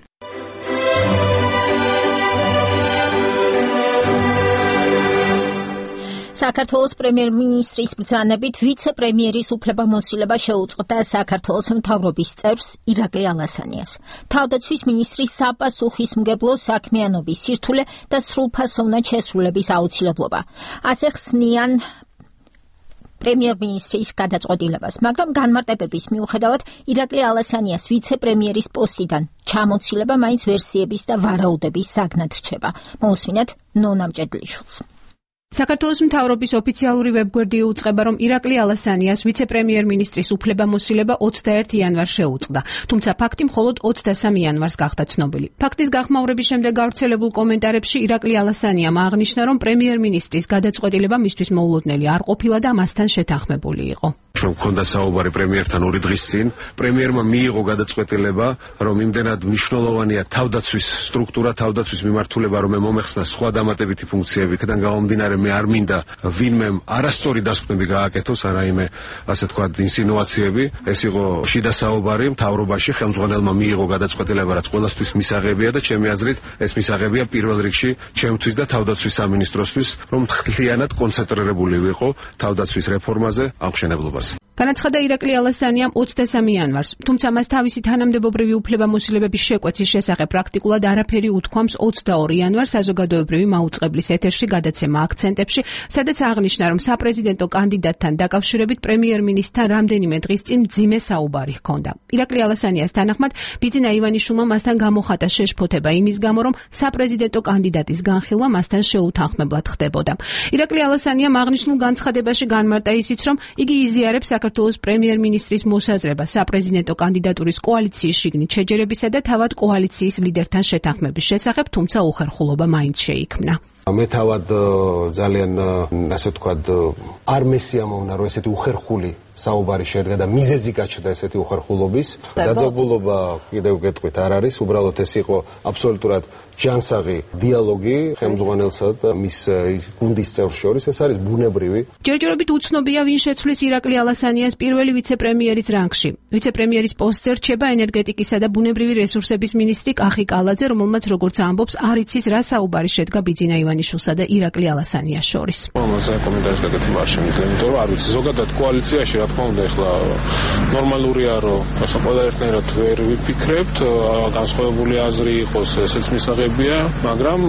საქართველოს პრემიერ-მინისტრის ბრძანებით ვიცე-პრემიერის უფლებამოსილება შეუწყდა საქართველოს მთავრობის წევრს ირაკლი ალასანიას. თავდაცვის მინისტრის საპასუხისმგებლო საქმიანობის სირთულე და სრულფასოვნად შესრულების აუცილებლობა. ასე ხსნიან პრემიერ-მინისტრის გადაწყვეტილებას, მაგრამ განმარტებების მიუხედავად ირაკლი ალასანიას ვიცე-პრემიერის პოსტიდან ჩამოცილება მაინც ვერსიების და ვარაუდების საგნად რჩება. მოусმინეთ ნონა მჭედლიშვილს. საქართველოს მთავრობის ოფიციალური ვებგვერდი უწყება, რომ ირაკლი ალასანიას ვიცე-პრემიერ-მინისტრის უფლებამოსილება 21 იანვარს შეუწყდა, თუმცა ფაქტი მხოლოდ 23 იანვარს გახდა ცნობილი. ფაქტის გახმაურების შემდეგ გავრცელებულ კომენტარებში ირაკლი ალასანიამ აღნიშნა, რომ პრემიერ-მინისტრის გადაწყვეტილება მისთვის მოულოდნელი არ ყოფილა და მასთან შეთანხმებული იყო. რომ მქონდა საუბარი პრემიერთან 2 დღის წინ, პრემიერმა მიიღო გადაწყვეტილება, რომ იმდენად მნიშვნელოვანია თავდაცვის სტრუქტურა, თავდაცვის მიმართულება, რომ მომეხსნა სხვა დამატებითი ფუნქციები, იქიდან გამომდინარე მე არ მინდა ვინმე არასწორი დასკვნები გააკეთოს, არაიმე ასე თქვა ინსინუაციები. ეს იყო შიდა საუბარი მთავრობაში, ხელმძღვანელმა მიიღო გადაწყვეტილება, რაც ყველასთვის მისაღებია და ჩემი აზრით ეს მისაღებია პირველ რიგში ჩემთვის და თავდაცვის სამინისტროსთვის, რომ მთლიანად კონცენტრირებული ვიყო თავდაცვის რეფორმაზე, აღმშენებლობაზე. განაცხადა ირაკლი ალასანიამ 23 იანვარს, თუმცა მას თავისი თანამდებობრივი უფლებამოსილებების შეკვეცის შესახებ პრაქტიკულად არაფერი უთქვამს 22 იანვარს საზოგადოებრივი მაუწყებლის ეთერში გადაცემა აქცენტებში, სადაც აღნიშნა, რომ საპრეზიდენტო კანდიდატთან დაკავშირებით პრემიერ-მინისტრთან რამდენიმე დღის წინ მძიმე საუბარი ჰქონდა. ირაკლი ალასანიას თანახმად, ბიძინა ივანიშვილმა მასთან გამოხატა შეშფოთება იმის გამო, რომ საპრეზიდენტო კანდიდატის განხილვა მასთან შეუთანხმებლად ხდებოდა. ირაკლი ალასანიამ აღნიშნულ განცხადებაში განმარტა ისიც, რომ იგი იზიარებს საქართველოს პრემიერ-მინისტრის მოსაზრება საპრეზიდენტო კანდიდატურის კოალიციის შიგნით შეჯერებისა და თავად კოალიციის ლიდერთან შეთანხმების შესახებ, თუმცა უხერხულობა მაინც შეიქმნა. მე თავად ძალიან ასე ვთქვათ არ მესიამოვნა, რომ ესეთი უხერხული საუბარი შედგა და მიზეზი გაჩნდა ესეთი უხერხულობის. დაძაბულობა კიდევ გეტყვით არ არის, უბრალოდ ეს იყო აბსოლუტურად ჯანსაღი დიალოგი ხელმძღვანელსა და მის გუნდის წევრს შორის, ეს არის ბუნებრივი. ჯერჯერობით უცნობია, ვინ შეცვლის ირაკლი ალასანიას პირველი ვიცე-პრემიერის რანგში. ვიცე-პრემიერის პოსტზე რჩება ენერგეტიკისა და ბუნებრივი რესურსების მინისტრი კახი კალაძე, რომელმაც როგორც ამბობს, არ იცის რა საუბარი შედგა ბიძინა ივანიშვილსა და ირაკლი ალასანიას შორის. ამაზე კომენტარის გაკეთება არ შემიძლია, იმიტომ რომ არ ვიცი, ზოგადად კოალიციაში რა თქმა უნდა ეხლა ნორმალურია, რომ ასე ყველა ერთნაირად ვერ ვიფიქრებთ, განსხვავებული აზრი იყოს, ესეც მისაღებია, მაგრამ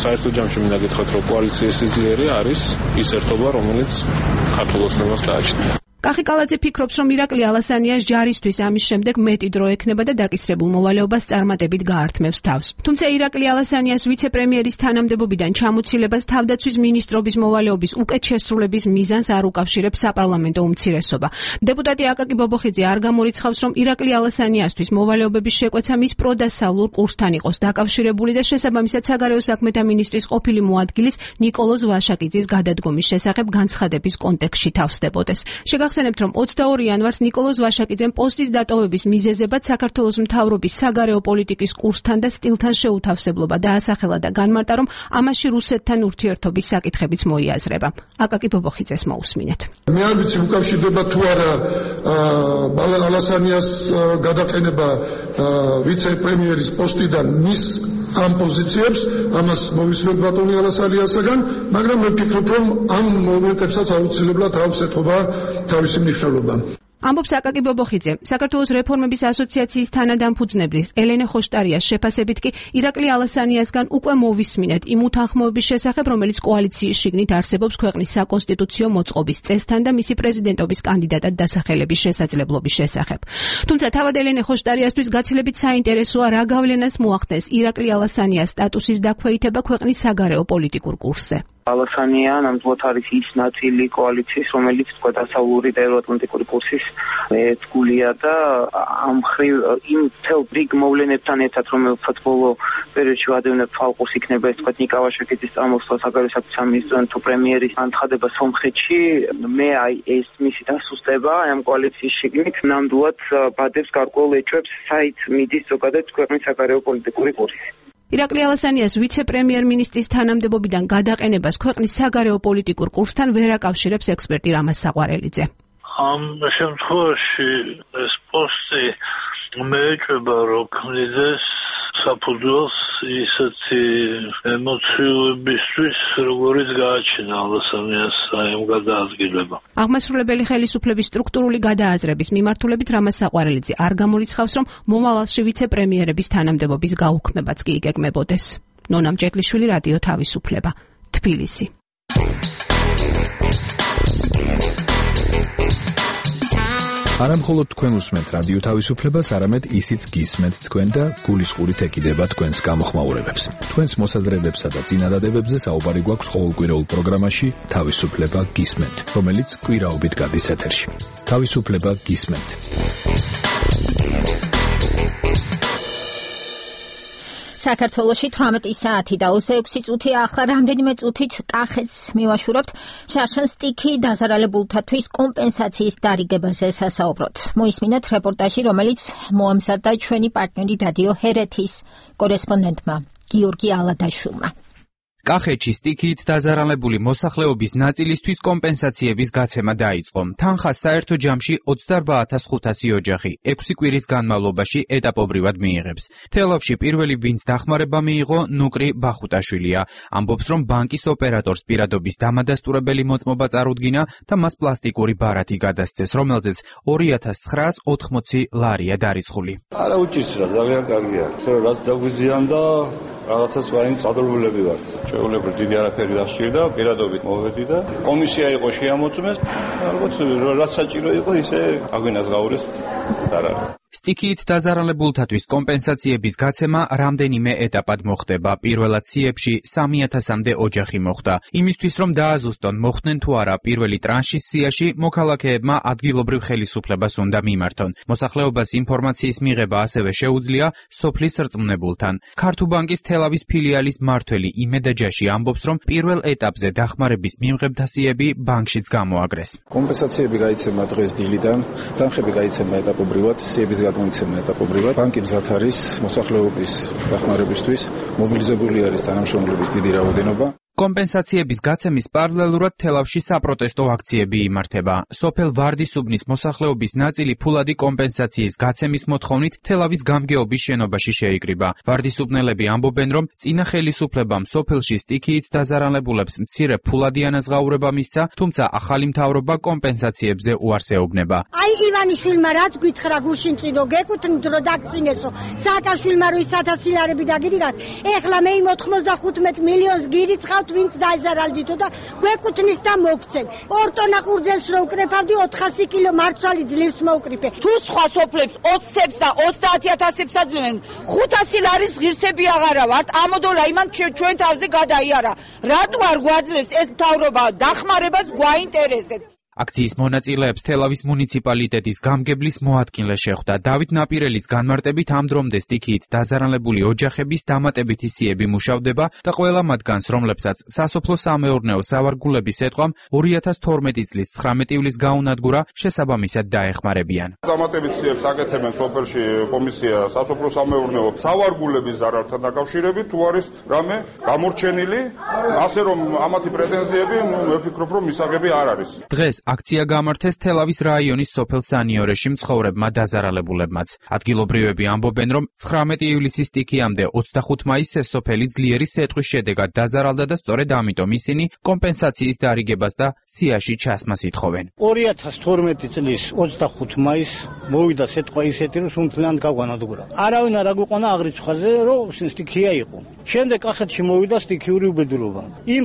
საერთო ჯამში მინდა გითხრათ, რომ კოალიციის სიძლიერე არის ის ერთობა, რომელიც ქართულ ოცნებას გააჩნია. კახი კალაძე ფიქრობს, რომ ირაკლი ალასანიას ჯარისთვის ამის შემდეგ მეტი დრო ექნება და დაკისრებულ მოვალეობას წარმატებით გაართმევს თავს. თუმცა ირაკლი ალასანიას ვიცე-პრემიერის თანამდებობიდან ჩამოცილებას თავდაცვის მინისტრობის მოვალეობის უკეთ შესრულების მიზანს არ უკავშირებს საპარლამენტო უმცირესობა. დეპუტატი აკაკი ბობოხიძე არ გამორიცხავს, რომ ირაკლი ალასანიასთვის მოვალეობების შეკვეცა მის პროდასავლურ კურსთან იყოს დაკავშირებული და შესაბამისად საგარეო საქმეთა მინისტრის ყოფილი მოადგილის ნიკოლოზ ვაშაკიძის გადადგომის შესახებ განცხადების კონტექსტში თავსდებოდეს. შევახსენებთ, რომ 22 იანვარს ნიკოლოზ ვაშაკიძემ პოსტის დატოვების მიზეზებად საქართველოს მთავრობის საგარეო პოლიტიკის კურსთან და სტილთან შეუთავსებლობა დაასახელა და განმარტა, რომ ამაში რუსეთთან ურთიერთობის საკითხებიც მოიაზრება. აკაკი ბობოხიძეს მოусმინეთ. მე არ ვიცი უკავშირდება თუ არა ალასანიას გადაყენება ვიცე-პრემიერის პოსტიდან მის ამ პოზიციებს, ამას მოვისმენთ ბატონი ალასანიასაგან, მაგრამ მე ვფიქრობ, რომ ამ მომენტებსაც აუცილებლად აქვს ეთობა თავისი მნიშვნელობა. ამბობს აკაკი ბობოხიძე. საქართველოს რეფორმების ასოციაციის თანადამფუძნებლის ელენე ხოშტარიას შეფასებით კი ირაკლი ალასანიასგან უკვე მოვისმინეთ იმ უთანხმოების შესახებ, რომელიც კოალიციის შიგნით არსებობს ქვეყნის საკონსტიტუციო მოწყობის წესთან და მისი პრეზიდენტობის კანდიდატად დასახელების შესაძლებლობის შესახებ. თუმცა თავად ელენე ხოშტარიასთვის გაცილებით საინტერესოა, რა გავლენას მოახდენს ირაკლი ალასანიას სტატუსის დაქვეითება ქვეყნის საგარეო პოლიტიკურ კურსზე. ალასანია ნამდვილად არის ის ნაწილი კოალიციის, რომელიც თქვა დასავლური და ევროატლანტიკური კურსის ერთგულია და ამ მხრივ იმ თელ რიგ მოვლენებთან ერთად, რომელსაც ბოლო პერიოდში ვადევნებ ფალყურს იქნება ეს თქვა ნიკა ვაშაკიძის წამოსვლა საგარეო საქმეთა სამინისტროს თუ პრემიერის განცხადება სომხეთში, მე ეს მისი დასუსტება ამ კოალიციის შიგნით ნამდვილად ბადებს გარკვეულ ეჭვებს საით მიდის ზოგადად ქვეყნის საგარეო პოლიტიკური კურსი. ირაკლი ალასანიას ვიცე-პრემიერ-მინისტრის თანამდებობიდან გადაყენებას ქვეყნის საგარეო პოლიტიკურ კურსთან ვერ აკავშირებს ექსპერტი რამაზ საყვარელიძე. ამ შემთხვევაში ეს პოსტი მეეჭვება, რომ ქმნიდეს საფუძველს ისეთი ემოციებისთვის, როგორიც გააჩინა ალასანიას ამ გადაადგილება. აღმასრულებელი ხელისუფლების სტრუქტურული გადააზრების მიმართულებით რამაზ საყვარელიძე არ გამორიცხავს, რომ მომავალში ვიცე-პრემიერების თანამდებობის გაუქმებაც კი იგეგმებოდეს. ნონა მჭედლიშვილი, რადიო თავისუფლება, თბილისი. არა მხოლოდ თქვენ უსმენთ რადიო თავისუფლებას, არამედ ისიც გისმენთ თქვენ და გულისყურით ეკიდება თქვენს გამოხმაურებებს. თქვენს მოსაზრებებსა და წინადადებებზე საუბარი გვაქვს ყოველკვირეულ პროგრამაში თავისუფლება გისმენთ, რომელიც კვირაობით გადის ეთერში. თავისუფლება გისმენთ. საქართველოში 18 საათი და 26 წუთია, ახლა რამდენიმე წუთით კახეთს მივაშურებთ. შარშან სტიქი დაზარალებულთათვის კომპენსაციის დარიგებაზე სასაუბროთ. მოისმინეთ რეპორტაჟი, რომელიც მოამზადა ჩვენი პარტნიორი რადიო ჰერეთის კორესპონდენტმა გიორგი ალადაშვილმა. კახეთში სტიქით დაზარალებული მოსახლეობის ნაწილისთვის კომპენსაციების გაცემა დაიწყო. თანხას საერთო ჯამში 28500 ოჯახი 6 კვირის განმავლობაში ეტაპობრივად მიიღებს. თელავში პირველი ვინც დახმარება მიიღო ნუკრი ბახუტაშვილია. ამბობს, რომ ბანკის ოპერატორს პირადობის დამადასტურებელი მოწმობა წარუდგინა და მას პლასტიკური ბარათი გადასცეს, რომელზეც 2980 ლარია დარიცხული. არა უჭირს რა, ძალიან კარგია. რაც დაგვიზიანდა რაღაცას ვაინც ადროულები ვართ. შეულებრივ დიდი არაფერი დასჭირდა, პირადობით მოვედი და კომისია იყო შეამოწმეს. ალბათ რაც საჭირო იყო, ისე აგვინაზღაურეს სარარი. სტიქით დაზარალებულთათვის კომპენსაციების გაცემა რამდენიმე ეტაპად მოხდება. პირველად სიებში 3000-მდე ოჯახი მოხვდა. იმისთვის, რომ დააზუსტონ მოხდნენ თუ არა პირველი ტრანშის სიაში, მოქალაქეებმა ადგილობრივ ხელისუფლებას უნდა მიმართონ. მოსახლეობას ინფორმაციის მიღება ასევე შეუძლია სოფლის რწმუნებულთან. ქართუბანკის თელავის ფილიალის მმართველი იმედა ჯაში ამბობს, რომ პირველ ეტაპზე დახმარების მიმღებთა სიები ბანკშიც გამოაგრეს. კომპენსაციები გაიცემა დღეს დილიდან, თანხები გაიცემა ეტაპობრივად, სიების გადმოიცემა ეტაპობრივად. ბანკი მზად არის მოსახლეობის დახმარებისთვის, მობილიზებული არის თანამშრომლების დიდი რაოდენობა. კომპენსაციების გაცემის პარალელურად თელავში საპროტესტო აქციები იმართება. სოფელ ვარდისუბნის მოსახლეობის ნაწილი ფულადი კომპენსაციის გაცემის მოთხოვნით თელავის გამგეობის შენობაში შეიკრიბა. ვარდისუბნელები ამბობენ, რომ წინა ხელისუფლებამ სოფელში სტიქიით დაზარალებულებს მცირე ფულადი ანაზღაურება მისცა, თუმცა ახალი მთავრობა კომპენსაციებზე უარს ეუბნება. აი ივანიშვილმა რაც გითხრა გუშინ წინო გეკუთვნით რომ დაგწინესო. სააკაშვილმა რო ის 1000 ლარები დაგიდიგათ. ეხლა მე 95 მილიონს გირიცხავ ვინც დაიზარალდითო და გვეკუთვნის და მოგცენ. 2 ტონა ყურძენს რო უკრეფავდი 400 კილო მარცვალი ძლივს მოვკრიფე. თუ სხვა სოფლებს 20-ებს და 30000-ებს აძლევენ, 500 ლარის ღირსები აღარა ვართ. ამოდოლა იმან ჩვენ თავზე გადაიარა. რატო არ გვაძლევს ეს მთავრობა დახმარებას გვაინტერესებს? აქციის მონაწილეებს თელავის მუნიციპალიტეტის გამგებლის მოადგილე შეხვდა. დავით ნაპირელის განმარტებით ამ დრომდე სტიქიით დაზარალებული ოჯახების დამატებითი სიები მუშავდება და ყველა მათგანს, რომლებსაც სასოფლო-სამეურნეო სავარგულების ეთყვამ 2012 წლის 19 ივლისს გაუნადგურა, შესაბამისად დაეხმარებიან. დამატებით სიებს აკეთებენ სოფელში კომისია სასოფლო-სამეურნეო სავარგულების ზარალთან დაკავშირებით, თუ არის რამე გამორჩენილი, ასე რომ ამათი პრეტენზიები, მე ვფიქრობ, რომ მისაღები არ არის. დღეს აქცია გამართეს თელავის რაიონის სოფელ სანიორეში მცხოვრებმა დაზარალებულებმაც. ადგილობრივები ამბობენ, რომ 19 ივლისის სტიქიამდე 25 მაისს ეს სოფელი ძლიერი სეტყვის შედეგად დაზარალდა და სწორედ ამიტომ ისინი კომპენსაციის დარიგებას და სიაში ჩასმას ითხოვენ. 2012 წლის 25 მაისს მოვიდა სეტყვა ისეთი, რომ სუნთლიანად გაგვანადგურა. არავინ არ აგვიყვანა აღრიცხვაზე, რომ სტიქია იყო. შემდეგ კახეთში მოვიდა სტიქიური უბედურობა. იმ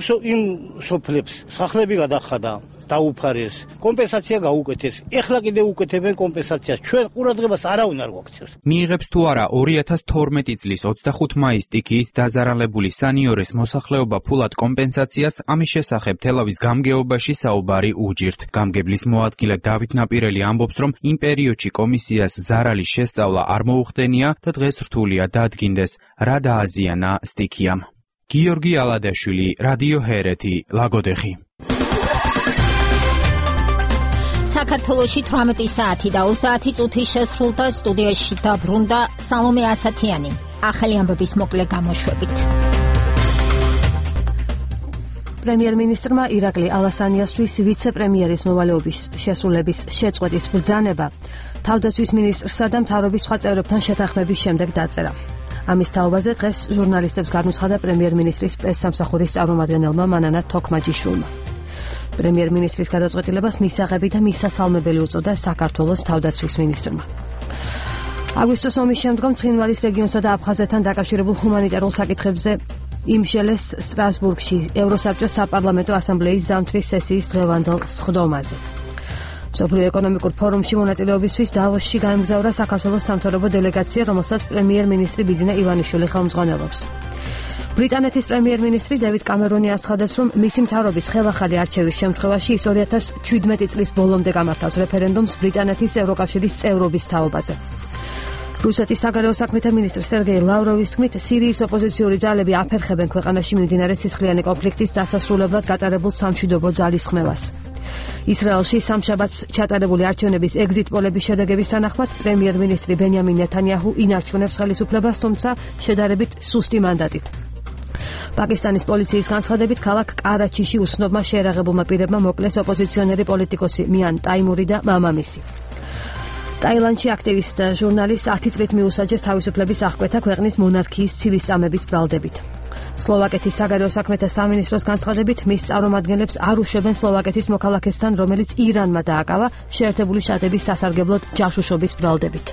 სოფლებს სახლები გადახადა, დაუფარეს, კომპენსაცია გაუკეთეს. ეხლა კიდე უკეთებენ კომპენსაციას. ჩვენ ყურადღებას არავინ არ გვაქცევს. მიიღებს თუ არა 2012 წლის 25 მაისს სტიქიით დაზარალებული სანიორეს მოსახლეობა ფულად კომპენსაციას, ამის შესახებ თელავის გამგეობაში საუბარი უჯირთ. გამგებლის მოადგილე დავით ნაპირელი ამბობს, რომ იმ პერიოდში კომისიას ზარალის შესწავლა არ მოუხდენია და დღეს რთულია დადგინდეს, რა დააზიანა სტიქიამ. გიორგი ალადაშვილი, რადიო ჰერეთი, ლაგოდეხი. საქართველოში 18 საათი და 2 საათი წუთი შესრულდა, სტუდიაში დაბრუნდა სალომე ასათიანი. ახალი ამბების მოკლე გამოშვებით. პრემიერ-მინისტრმა ირაკლი ალასანიასთვის ვიცე-პრემიერის მოვალეობის შესრულების შეწყვეტის ბრძანება თავდაცვის მინისტრსა და მთავრობის სხვა წევრებთან შეთანხმების შემდეგ დაწერა. ამის თაობაზე დღეს ჟურნალისტებს განუცხადა პრემიერ-მინისტრის პრესსამსახურის წარმომადგენელმა მანანა თოქმაჯიშვილმა. პრემიერ-მინისტრის გადაწყვეტილებას მისაღები და მისასალმებელი უწოდა საქართველოს თავდაცვის მინისტრმა. აგვისტოს ომის შემდგომ ცხინვალის რეგიონსა და აფხაზეთთან დაკავშირებულ ჰუმანიტარულ საკითხებზე იმშელეს სტრასბურგში ევროსაბჭოს საპარლამენტო ასამბლეის ზამთრის სესიის დღევანდელ სხდომაზე. მსოფლიო ეკონომიკურ ფორუმში მონაწილეობისთვის დავოსში გაემგზავრა საქართველოს სამთავრობო დელეგაცია, რომელსაც პრემიერ-მინისტრი ბიძინა ივანიშვილი ხელმძღვანელობს. ბრიტანეთის პრემიერ-მინისტრი დევიდ კამერონი აცხადებს, რომ მისი მთავრობის ხელახალი არჩევის შემთხვევაში ის 2017 წლის ბოლომდე გამართავს რეფერენდუმს ბრიტანეთის ევროკავშირის წევრობის თაობაზე. რუსეთის საგარეო საქმეთა მინისტრი სერგეი ლავროვის თქმით, სირიის ოპოზიციური ძალები აფერხებენ ქვეყანაში მიმდინარე სისხლიანი კონფლიქტის დასასრულებლად გატარებულ სამშვიდობო ძალისხმევას. ისრაელში სამშაბათს ჩატარებული არჩევნების ეგზიტ პოლების შედეგების თანახმად პრემიერ-მინისტრი ბენიამინ ნეთანიაჰუ ინარჩუნებს ხელისუფლებას, თუმცა შედარებით სუსტი მანდატით. პაკისტანის პოლიციის განცხადებით, ქალაქ კარაჩიში უცნობმა შეერაღებულმა პირებმა მოკლეს ოპოზიციონერი პოლიტიკოსი მიან ტაიმური და მამამისი. ტაილანდში აქტივისტ ჟურნალისტ 10 წლით მიუსაჯეს თავისუფლების აღკვეთა ქვეყნის მონარქიის ცილისწამების ბრალდებით. სლოვაკეთის საგარეო საქმეთა სამინისტროს განცხადებით, მის წარმომადგენლებს არ უშვებენ სლოვაკეთის მოქალაქესთან, რომელიც ირანმა დააკავა შეერთებული შტატების სასარგებლოდ ჯაშუშობის ბრალდებით.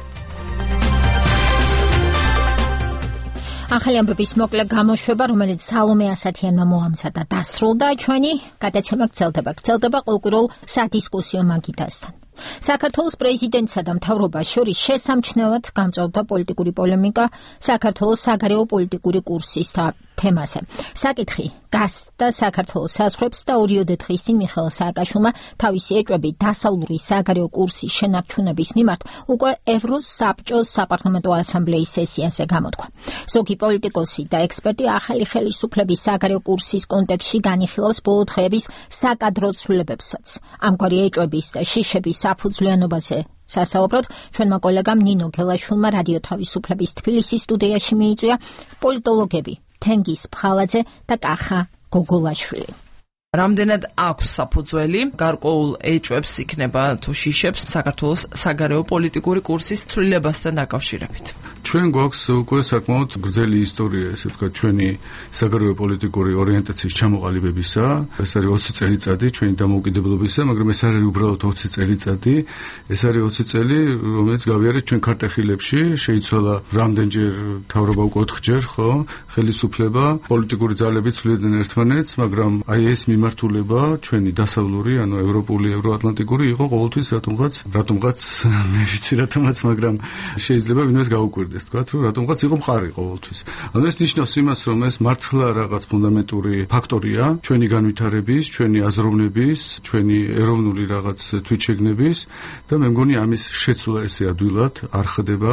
ახალი ამბების მოკლე გამოშვება, რომელიც სალომე ასათიანმა მოამზადა, დასრულდა. ჩვენი გადაცემა გრძელდება ყოველკვირეულ სადისკუსიო მაგიდასთან. საქართველოს პრეზიდენტსა და მთავრობას შორის შესამჩნევად გამწვავდა პოლიტიკური პოლემიკა საქართველოს საგარეო პოლიტიკური კურსის თემაზე. საკითხი გასცდა საქართველოს საზღვრებს და 2 დღის წინ მიხეილ სააკაშვილმა თავისი ეჭვები დასავლური საგარეო კურსის შენარჩუნების მიმართ უკვე ევროსაბჭოს საპარლამენტო ასამბლეის სესიაზე გამოთქვა. ზოგი პოლიტიკოსი და ექსპერტი ახალი ხელისუფლების საგარეო კურსის კონტექსტში განიხილავს ბოლო დღეების საკადრო ცვლილებებსაც. ამგვარი ეჭვების და შიშების საფუძვლიანობაზე სასაუბროდ ჩვენმა კოლეგამ ნინო გელაშვილმა რადიო თავისუფლების თბილისის სტუდიაში მიიწვია პოლიტოლოგები თენგიზ ფხალაძე და კახა გოგოლაშვილი. რამდენად აქვს საფუძველი გარკვეულ ეჭვებს იქნება თუ შიშებს საქართველოს საგარეო პოლიტიკური კურსის ცვლილებასთან დაკავშირებით? ჩვენ გვაქვს უკვე საკმაოდ გრძელი ისტორია, ესე ვთქვათ, ჩვენი საგარეო პოლიტიკური ორიენტაციის ჩამოყალიბებისა. ეს არის 20 წელიწადი ჩვენი დამოუკიდებლობისა, მაგრამ ეს არის უბრალოდ 20 წელიწადი. ეს არის 20 წელი, რომელიც გავიარეთ ჩვენ ქარტეხილებში, შეიცვალა რამდენჯერ მთავრობა უკვე 4 ჯერ, ხო? ხელისუფლება, პოლიტიკური ძალები ცვლიდნენ ერთმანეთს, მაგრამ აი ეს მიმართულება ჩვენი დასავლური, ანუ ევროპული, ევროატლანტიკური იყო ყოველთვის რატომღაც მე ვიცი რატომაც, მაგრამ შეიძლება ვინმეს გაუკვირდეს თქვა, რომ რატომღაც იყო მყარი ყოველთვის. ანუ ეს ნიშნავს იმას, რომ ეს მართლა რაღაც ფუნდამენტური ფაქტორია ჩვენი განვითარების, ჩვენი აზროვნების, ჩვენი ეროვნული რაღაც თვითშეგნების და მე მგონი ამის შეცვლა ესე ადვილად არ ხდება,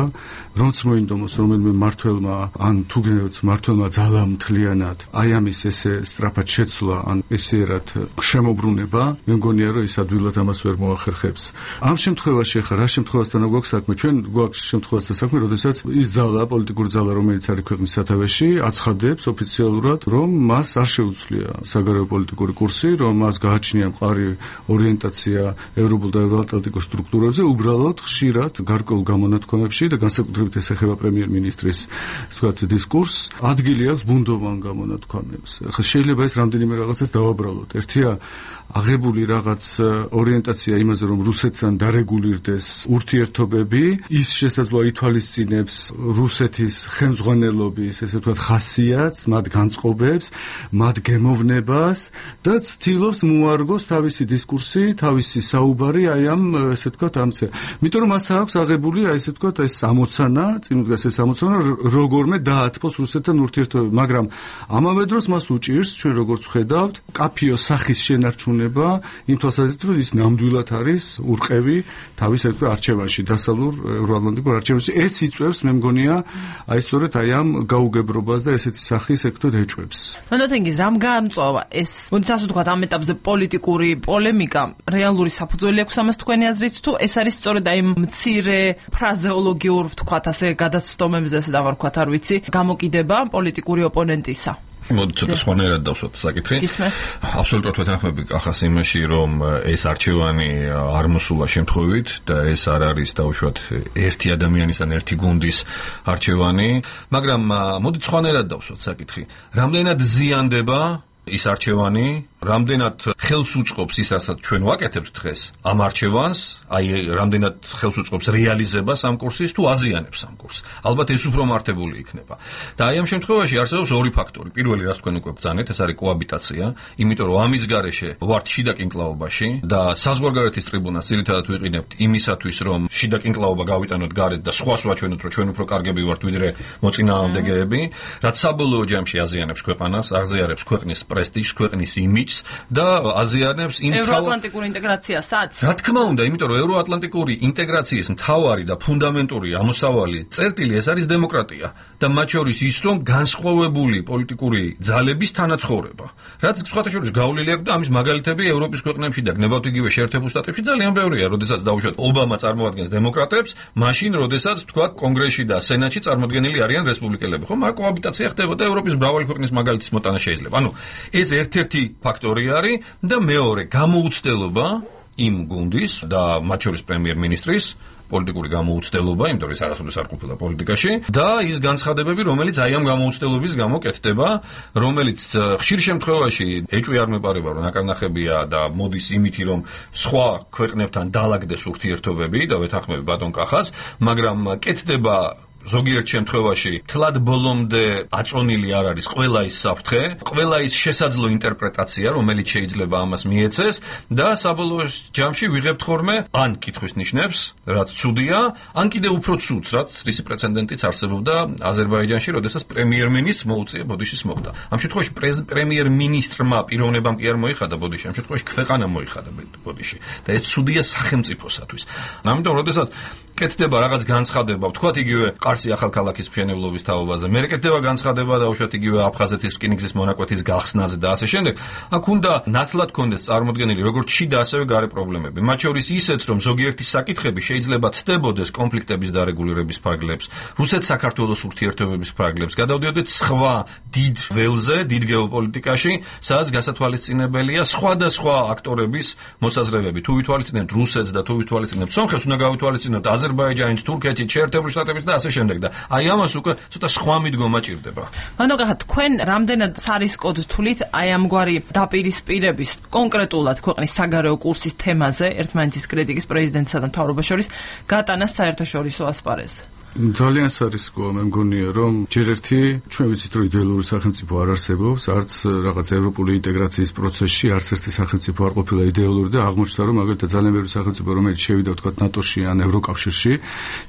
რომც მოინდომოს რომელიმე მართველმა ან თუ გინდათ მართველმა ძალამ მთლიანად აი ამის ესე სწრაფად შეცვლა ან ესერად შემოbrunება, მე მგონია რომ ის ადვილად ამას ვერ მოახერხებს. ამ შემთხვევაში ახლა რა შემთხვევასთან გვაქვს საქმე? ჩვენ გვაქვს შემთხვევასთან საქმე, როდესაც ის ძალა, პოლიტიკური ძალა, რომელიც არის ქვეყნის სათავეში, აცხადებს ოფიციალურად, რომ მას არ შეუძლია საგარეო პოლიტიკური კურსი, რომ მას გააჩნია მყარი ორიენტაცია ევროპულ და ევროატლანტიკურ სტრუქტურებზე, უბრალოდ ხშირად გარკვეულ გამონათქვამებში და განსაკუთრებით ეს ეხება პრემიერ-მინისტრის ვთქვათ დისკურსს, ადგილი აქვს ბუნდოვან გამონათქვამებს. ახლა შეიძლება ეს რამდენიმე რაღაცას დავაბრალოთ. ერთია აღებული რაღაც ორიენტაცია იმაზე, რომ რუსეთთან დარეგულირდეს ურთიერთობები, ის შესაძლოა ითვალისწინებს რუსეთის ხელმძღვანელობის, ესე ვთქვათ, ხასიათს, მათ განწყობებს, მათ გემოვნებას და ცდილობს მოარგოს თავისი დისკურსი, თავისი საუბარი აი ამ ესე ვთქვათ ამცე. იმიტომ რომ მას აქვს აღებული აი ესე ვთქვათ ეს ამოცანა, წინ უდგას ეს ამოცანა, როგორმე დაათფოს რუსეთთან ურთიერთობები, მაგრამ ამავე დროს მას უჭირს ჩვენ როგორც ვხედავთ, კაფიო სახის შენარჩუნება, იმ თვალსაზრისით, რომ ის ნამდვილად არის ურყევი თავის ერთ არჩევანში, დასავლურ ევროატლანტიკურ არჩევანში. ეს იწვევს, მე მგონია, აი სწორედ აი ამ გაუგებრობას და ესეთი სახის ექტოდ ეჭვებს. მანოთენგის რამ გაამწვავა ეს, მოდით ასე ვთქვათ, ამ ეტაპზე პოლიტიკური პოლემიკა, რეალური საფუძველი აქვს ამას თქვენი აზრით, თუ ეს არის სწორედ აი მცირე ფრაზეოლოგიურ ვთქვათ ასე გადაცდომებზე, ესე დავარქვათ, არ ვიცი, გამოკიდება პოლიტიკური ოპონენტისა. მოდით ცოტა სხვანაირად დავსვათ საკითხი. აბსოლუტურად ვეთანხმები კახას იმაში, რომ ეს არჩევანი არ მოსულა შემთხვევით და ეს არ არის დაუშვათ ერთი ადამიანის ან ერთი გუნდის არჩევანი, მაგრამ მოდით სხვანაირად დავსვათ საკითხი. რამდენად ზიანდება ის არჩევანი, რამდენად ხელს უწყობს ის, რასაც ჩვენ ვაკეთებთ დღეს ამ არჩევანს, აი რამდენად ხელს უწყობს რეალიზებას ამ კურსის თუ აზიანებს ამ კურსს. ალბათ ეს უფრო მართებული იქნება. და აი ამ შემთხვევაში არსებობს ორი ფაქტორი. პირველი, რაც თქვენ უკვე ბრძანეთ, ეს არის კოაბიტაცია, იმიტომ რომ ამის გარეშე ვართ შიდა კინკლაობაში და საზღვარგარეთის ტრიბუნას ძირითადად ვიყინებთ იმისათვის, რომ შიდა კინკლაობა გავიტანოთ გარეთ და სხვას ვაჩვენოთ, რომ ჩვენ უფრო კარგები ვართ ვიდრე მოწინააღმდეგეები, რაც საბოლოო ჯამში აზიანებს ქვეყანას, აღზიარებს ქვეყნის პრესტიჟს, ქვეყნის იმიჯს და აზიანებს იმ ევროატლანტიკურ ინტეგრაციასაც? რა თქმა უნდა, იმიტომ რომ ევროატლანტიკური ინტეგრაციის მთავარი და ფუნდამენტური ამოსავალი წერტილი ეს არის დემოკრატია და მათ შორის ის, რომ განსხვავებული პოლიტიკური ძალების თანაცხოვრება. რაც სხვათა შორის გავლილი აქვს და ამის მაგალითები ევროპის ქვეყნებში და გნებავთ იგივე შეერთებულ შტატებში ძალიან ბევრია, როდესაც დაუშვათ ობამა წარმოადგენს დემოკრატებს, მაშინ როდესაც თქვა კონგრესში და სენატში წარმოდგენილი არიან რესპუბლიკელები. ხო, მაგრამ კოაბიტაცია ხდებოდა ევროპის მრავალი ქვეყნის მაგალითის მოტანა შეიძლება. ანუ ეს ერთ-ერთი ფაქტორი არის და მეორე გამოუცდელობა იმ გუნდის და მათ შორის პრემიერ-მინისტრის პოლიტიკური გამოუცდელობა, იმიტომ რომ ის არასოდეს არ ყოფილა პოლიტიკაში და ის განცხადებები, რომელიც აი ამ გამოუცდელობის გამო კეთდება, რომელიც ხშირ შემთხვევაში ეჭვი არ მეპარება, რომ აკარნახებია და მოდის იმითი, რომ სხვა ქვეყნებთან დაალაგდეს ურთიერთობები და ვეთანხმები ბატონ კახას, მაგრამ კეთდება ზოგიერთ შემთხვევაში თლად ბოლომდე აწონილი არ არის ყველა ის საფრთხე, ყველა ის შესაძლო ინტერპრეტაცია, რომელიც შეიძლება ამას მიეცეს და საბოლოო ჯამში ვიღებთ ხოლმე ან კითხვის ნიშნებს, რაც ცუდია, ან კიდევ უფრო ცუდს, რაც რისი პრეცედენტიც არსებობდა აზერბაიჯანში, როდესაც პრემიერ-მინისტრს მოუწია ბოდიშის მოხდა. ამ შემთხვევაში პრემიერ-მინისტრმა პიროვნებამ კი არ მოიხადა ბოდიში, ამ შემთხვევაში ქვეყანამ მოიხადა ბოდიში და ეს ცუდია სახელმწიფოსათვის. ამიტომ როდესაც კეთდება რაღაც განცხადება, ვთქვათ იგივე ყარსი ახალქალაქის მშენებლობის თაობაზე, მე კეთდება განცხადება და უშუალოდ იგივე აფხაზეთის რკინიგზის მონაკვეთის გახსნაზე და ასე შემდეგ, აქ უნდა ნათლად კონდეს წარმოდგენილი როგორც შიდა ასევე გარე პრობლემები. მათ შორის ისეც, რომ ზოგიერთი საკითხები შეიძლება ცდებოდეს კონფლიქტების დარეგულირების ფარგლებს, რუსეთ-საქართველოს ურთიერთობების ფარგლებს, გადავდიოდეთ სხვა დიდ ველზე, დიდ გეოპოლიტიკაში, სადაც გასათვალისწინებელია სხვადასხვა აქტორების მოსაზრებები. თუ ვითვალისწინებთ რუსეთს და თუ ვითვალისწინებთ სომხეთს, უნდა გავითვალისწინოთ აზერბაიჯანით, თურქეთით, შეერთებულ შტატებით და ასე შემდეგ და აი ამას უკვე ცოტა სხვა მიდგომა ჭირდება. მანდ თქვენ რამდენად სარისკოდ თვლით აი ამგვარი დაპირისპირების კონკრეტულად ქვეყნის საგარეო კურსის თემაზე ერთმანეთის კრიტიკის პრეზიდენტსა და მთავრობას შორის გატანას საერთაშორისო ასპარეზზე? ძალიან სარისკოა, მე მგონია, რომ ჯერ ერთი ჩვენ ვიცით, რომ იდეალური სახელმწიფო არ არსებობს, არც რაღაც ევროპული ინტეგრაციის პროცესში არც ერთი სახელმწიფო არ ყოფილა იდეალური და აღმოჩნდა, რომ მაგალითად ძალიან ბევრი სახელმწიფო, რომელიც შევიდა თქვა ნატოში ან ევროკავშირში,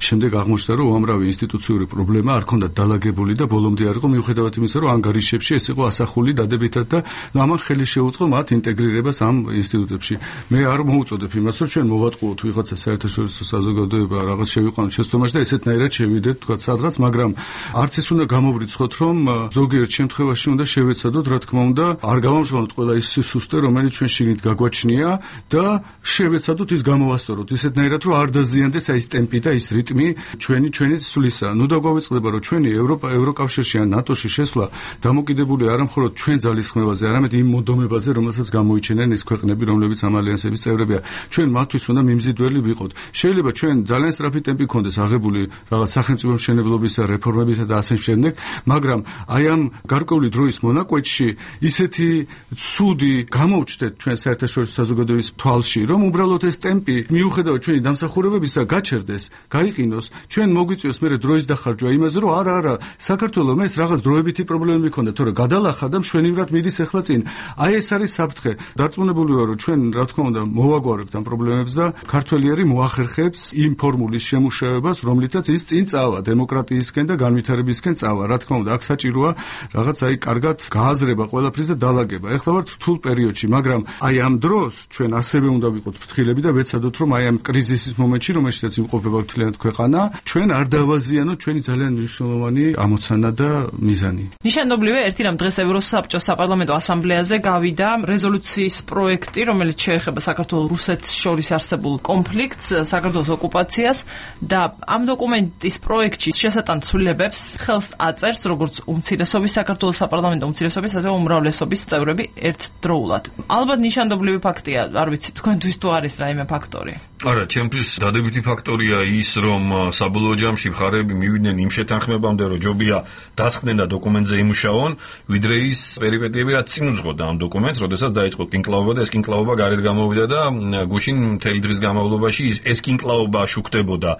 შემდეგ აღმოჩნდა, რომ უამრავი ინსტიტუციური პრობლემა არ ქონდათ დალაგებული და ბოლომდე არ იყო, მიუხედავად იმისა, რომ ანგარიშებში ეს იყო ასახული დადებითად და ამან ხელი შეუწყო მათ ინტეგრირებას ამ ინსტიტუტებში. მე არ მოუწოდებ იმას, რომ ჩვენ მოვატყუოთ ვიღაცა საერთაშორისო საზოგადოება რაღაც შევიყვანოთ შეცდომაში და ესეთნაირად შევიდეთ თქვა სადღაც, მაგრამ არც ის უნდა გამოვრიცხოთ, რომ ზოგიერთ შემთხვევაში უნდა შევეცადოთ, რა თქმა უნდა, არ გავამჟღავნოთ ყველა ის სისუსტე, რომელიც ჩვენ შიგნით გაგვაჩნია და შევეცადოთ ის გამოვასწოროთ ისეთნაირად, რომ არ დაზიანდეს აი ეს ტემპი და ის რიტმი ჩვენი სვლისა. ნუ დაგვაწყდება, რომ ჩვენი ევროკავშირში ან ნატოში შესვლა დამოკიდებული არა მხოლოდ ჩვენ ძალისხმევაზე, არამედ იმ მოდომებაზე, რომელსაც გამოიჩენენ ის ქვეყნები, რომლებიც ამ ალიანსების წევრებია. ჩვენ მათთვის უნდა მიმზიდველი ვიყოთ. შეიძლება ჩვენ ძალიან სწრაფი ტემპი გქონდეს აღებული რაღაც სახელმწიფო მშენებლობისა, რეფორმებისა და ასე შემდეგ, მაგრამ აი ამ გარკვეული დროის მონაკვეთში ისეთი ცუდი გამოვჩნდეთ ჩვენ საერთაშორისო საზოგადოების თვალში, რომ უბრალოდ ეს ტემპი მიუხედავად ჩვენი დამსახურებებისა გაჩერდეს, გაიყინოს, ჩვენ მოგვიწევს მერე დროის დახარჯვა იმაზე, რომ არა, საქართველოს ეს რაღაც დროებითი პრობლემები ქონდა, თორე გადალახა და მშვენივრად მიდის ახლა წინ. აი ეს არის საფრთხე. დარწმუნებული ვარ, რომ ჩვენ რა თქმა უნდა მოვაგვარებთ ამ პრობლემებს და ქართველი მოახერხებს იმ ფორმულის შემუშავებას, რომლითაც ის წინ წავა დემოკრატიისკენ და განვითარებისკენ წავა. რა თქმა უნდა, აქ საჭიროა რაღაც აი კარგად გააზრება ყველაფრის და დალაგება. ეხლა ვართ რთულ პერიოდში, მაგრამ აი ამ დროს ჩვენ ასევე უნდა ვიყოთ ფრთხილები და ვეცადოთ, რომ აი ამ კრიზისის მომენტში, რომელშიც იმყოფება მთლიანად ქვეყანა, ჩვენ არ დავაზიანოთ ჩვენი ძალიან მნიშვნელოვანი ამოცანა და მიზანი. ნიშანდობლივია ერთი რამ დღეს ევროსაბჭოს საპარლამენტო ასამბლეაზე გავიდა რეზოლუციის პროექტი, რომელიც შეეხება საქართველოს რუსეთს შორის არსებულ კონფლიქტს, საქართველოს ოკუპაციას და ამ დოკუმენტის პროექტში შესატან ცვლილებებს ხელს აწერს როგორც უმცირესობის საქართველოს საპარლამენტო უმცირესობის, ასევე უმრავლესობის წევრები ერთდროულად. ალბათ ნიშანდობლივი ფაქტია, არ ვიცი თქვენთვის თუ არის რაიმე ფაქტორი. არა, ჩემთვის დადებითი ფაქტორია ის, რომ საბოლოო ჯამში მხარეები მივიდნენ იმ შეთანხმებამდე, რომ ჯობია დასხდნენ და დოკუმენტზე იმუშაონ, ვიდრე ის პერიპეტიები, რაც წინ უძღოდა ამ დოკუმენტს, როდესაც დაიწყო კინკლაობა და ეს კინკლაობა გარეთ გამოვიდა და გუშინ მთელი დღის განმავლობაში ეს კინკლაობა შუქდებოდა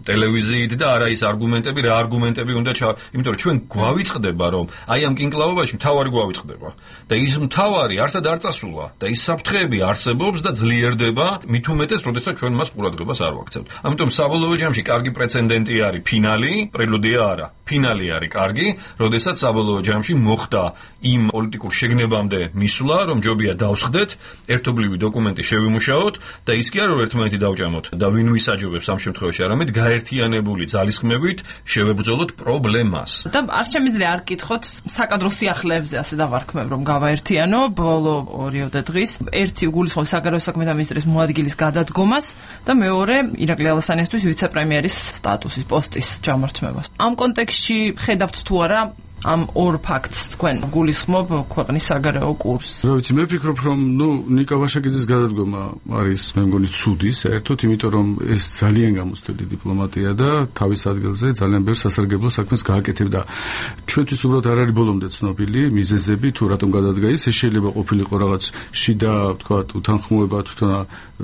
ტელევიზიით და არა ის არგუმენტები, რა არგუმენტები უნდა იმიტომ რომ ჩვენ გვავიწყდება, რომ აი ამ კინკლაობაში მთავარი გვავიწყდება და ის მთავარი არსად არ წასულა და ის საფრთხეები არსებობს და ძლიერდება, მით უმეტეს, როდესაც ჩვენ მას ყურადღებას არ ვაქცევთ. ამიტომ საბოლოო ჯამში კარგი პრეცედენტი არის ფინალი, პრელუდია არა. ფინალი არის კარგი, როდესაც საბოლოო ჯამში მოხდა იმ პოლიტიკურ შეგნებამდე მისვლა, რომ ჯობია დავსხდეთ, ერთობლივი დოკუმენტი შევიმუშაოთ და ის კი არა რომ ერთმანეთი დავჭამოთ და ვინ ვისაჯობებს ამ შემთხვევაში, არამედ გაერთიანებული ძალისხმევით შევებრძოლოთ პრობლემას. და არ შემიძლია არ კითხოთ საკადრო სიახლეებზე ასე დავარქმევ, რომ გავაერთიანო ბოლო 2 დღის ერთი გულისხმობს საგარეო საქმეთა მინისტრის მოადგილის გადადგომას და მეორე ირაკლი ალასანიასთვის ვიცე-პრემიერის სტატუსის პოსტის ჩამორთმევას. ამ კონტექსტში ხედავთ თუ არა ამ ორ ფაქტს თქვენ გულისხმობ ქვეყნის საგარეო კურსს. რა ვიცი, მე ვფიქრობ, რომ ნიკა ვაშაკიძის გადადგომა არის მე მგონი ცუდი, საერთოდ, იმიტომ რომ ეს ძალიან გამოცდილი დიპლომატია და თავის ადგილზე ძალიან ბევრ სასარგებლო საქმეს გააკეთებდა. ჩვენთვის უბრალოდ არ არის ბოლომდე ცნობილი მიზეზები თუ რატომ გადადგა ის, ეს შეიძლება ყოფილიყო რაღაც შიდა, ვთქვათ, უთანხმოება თვითონ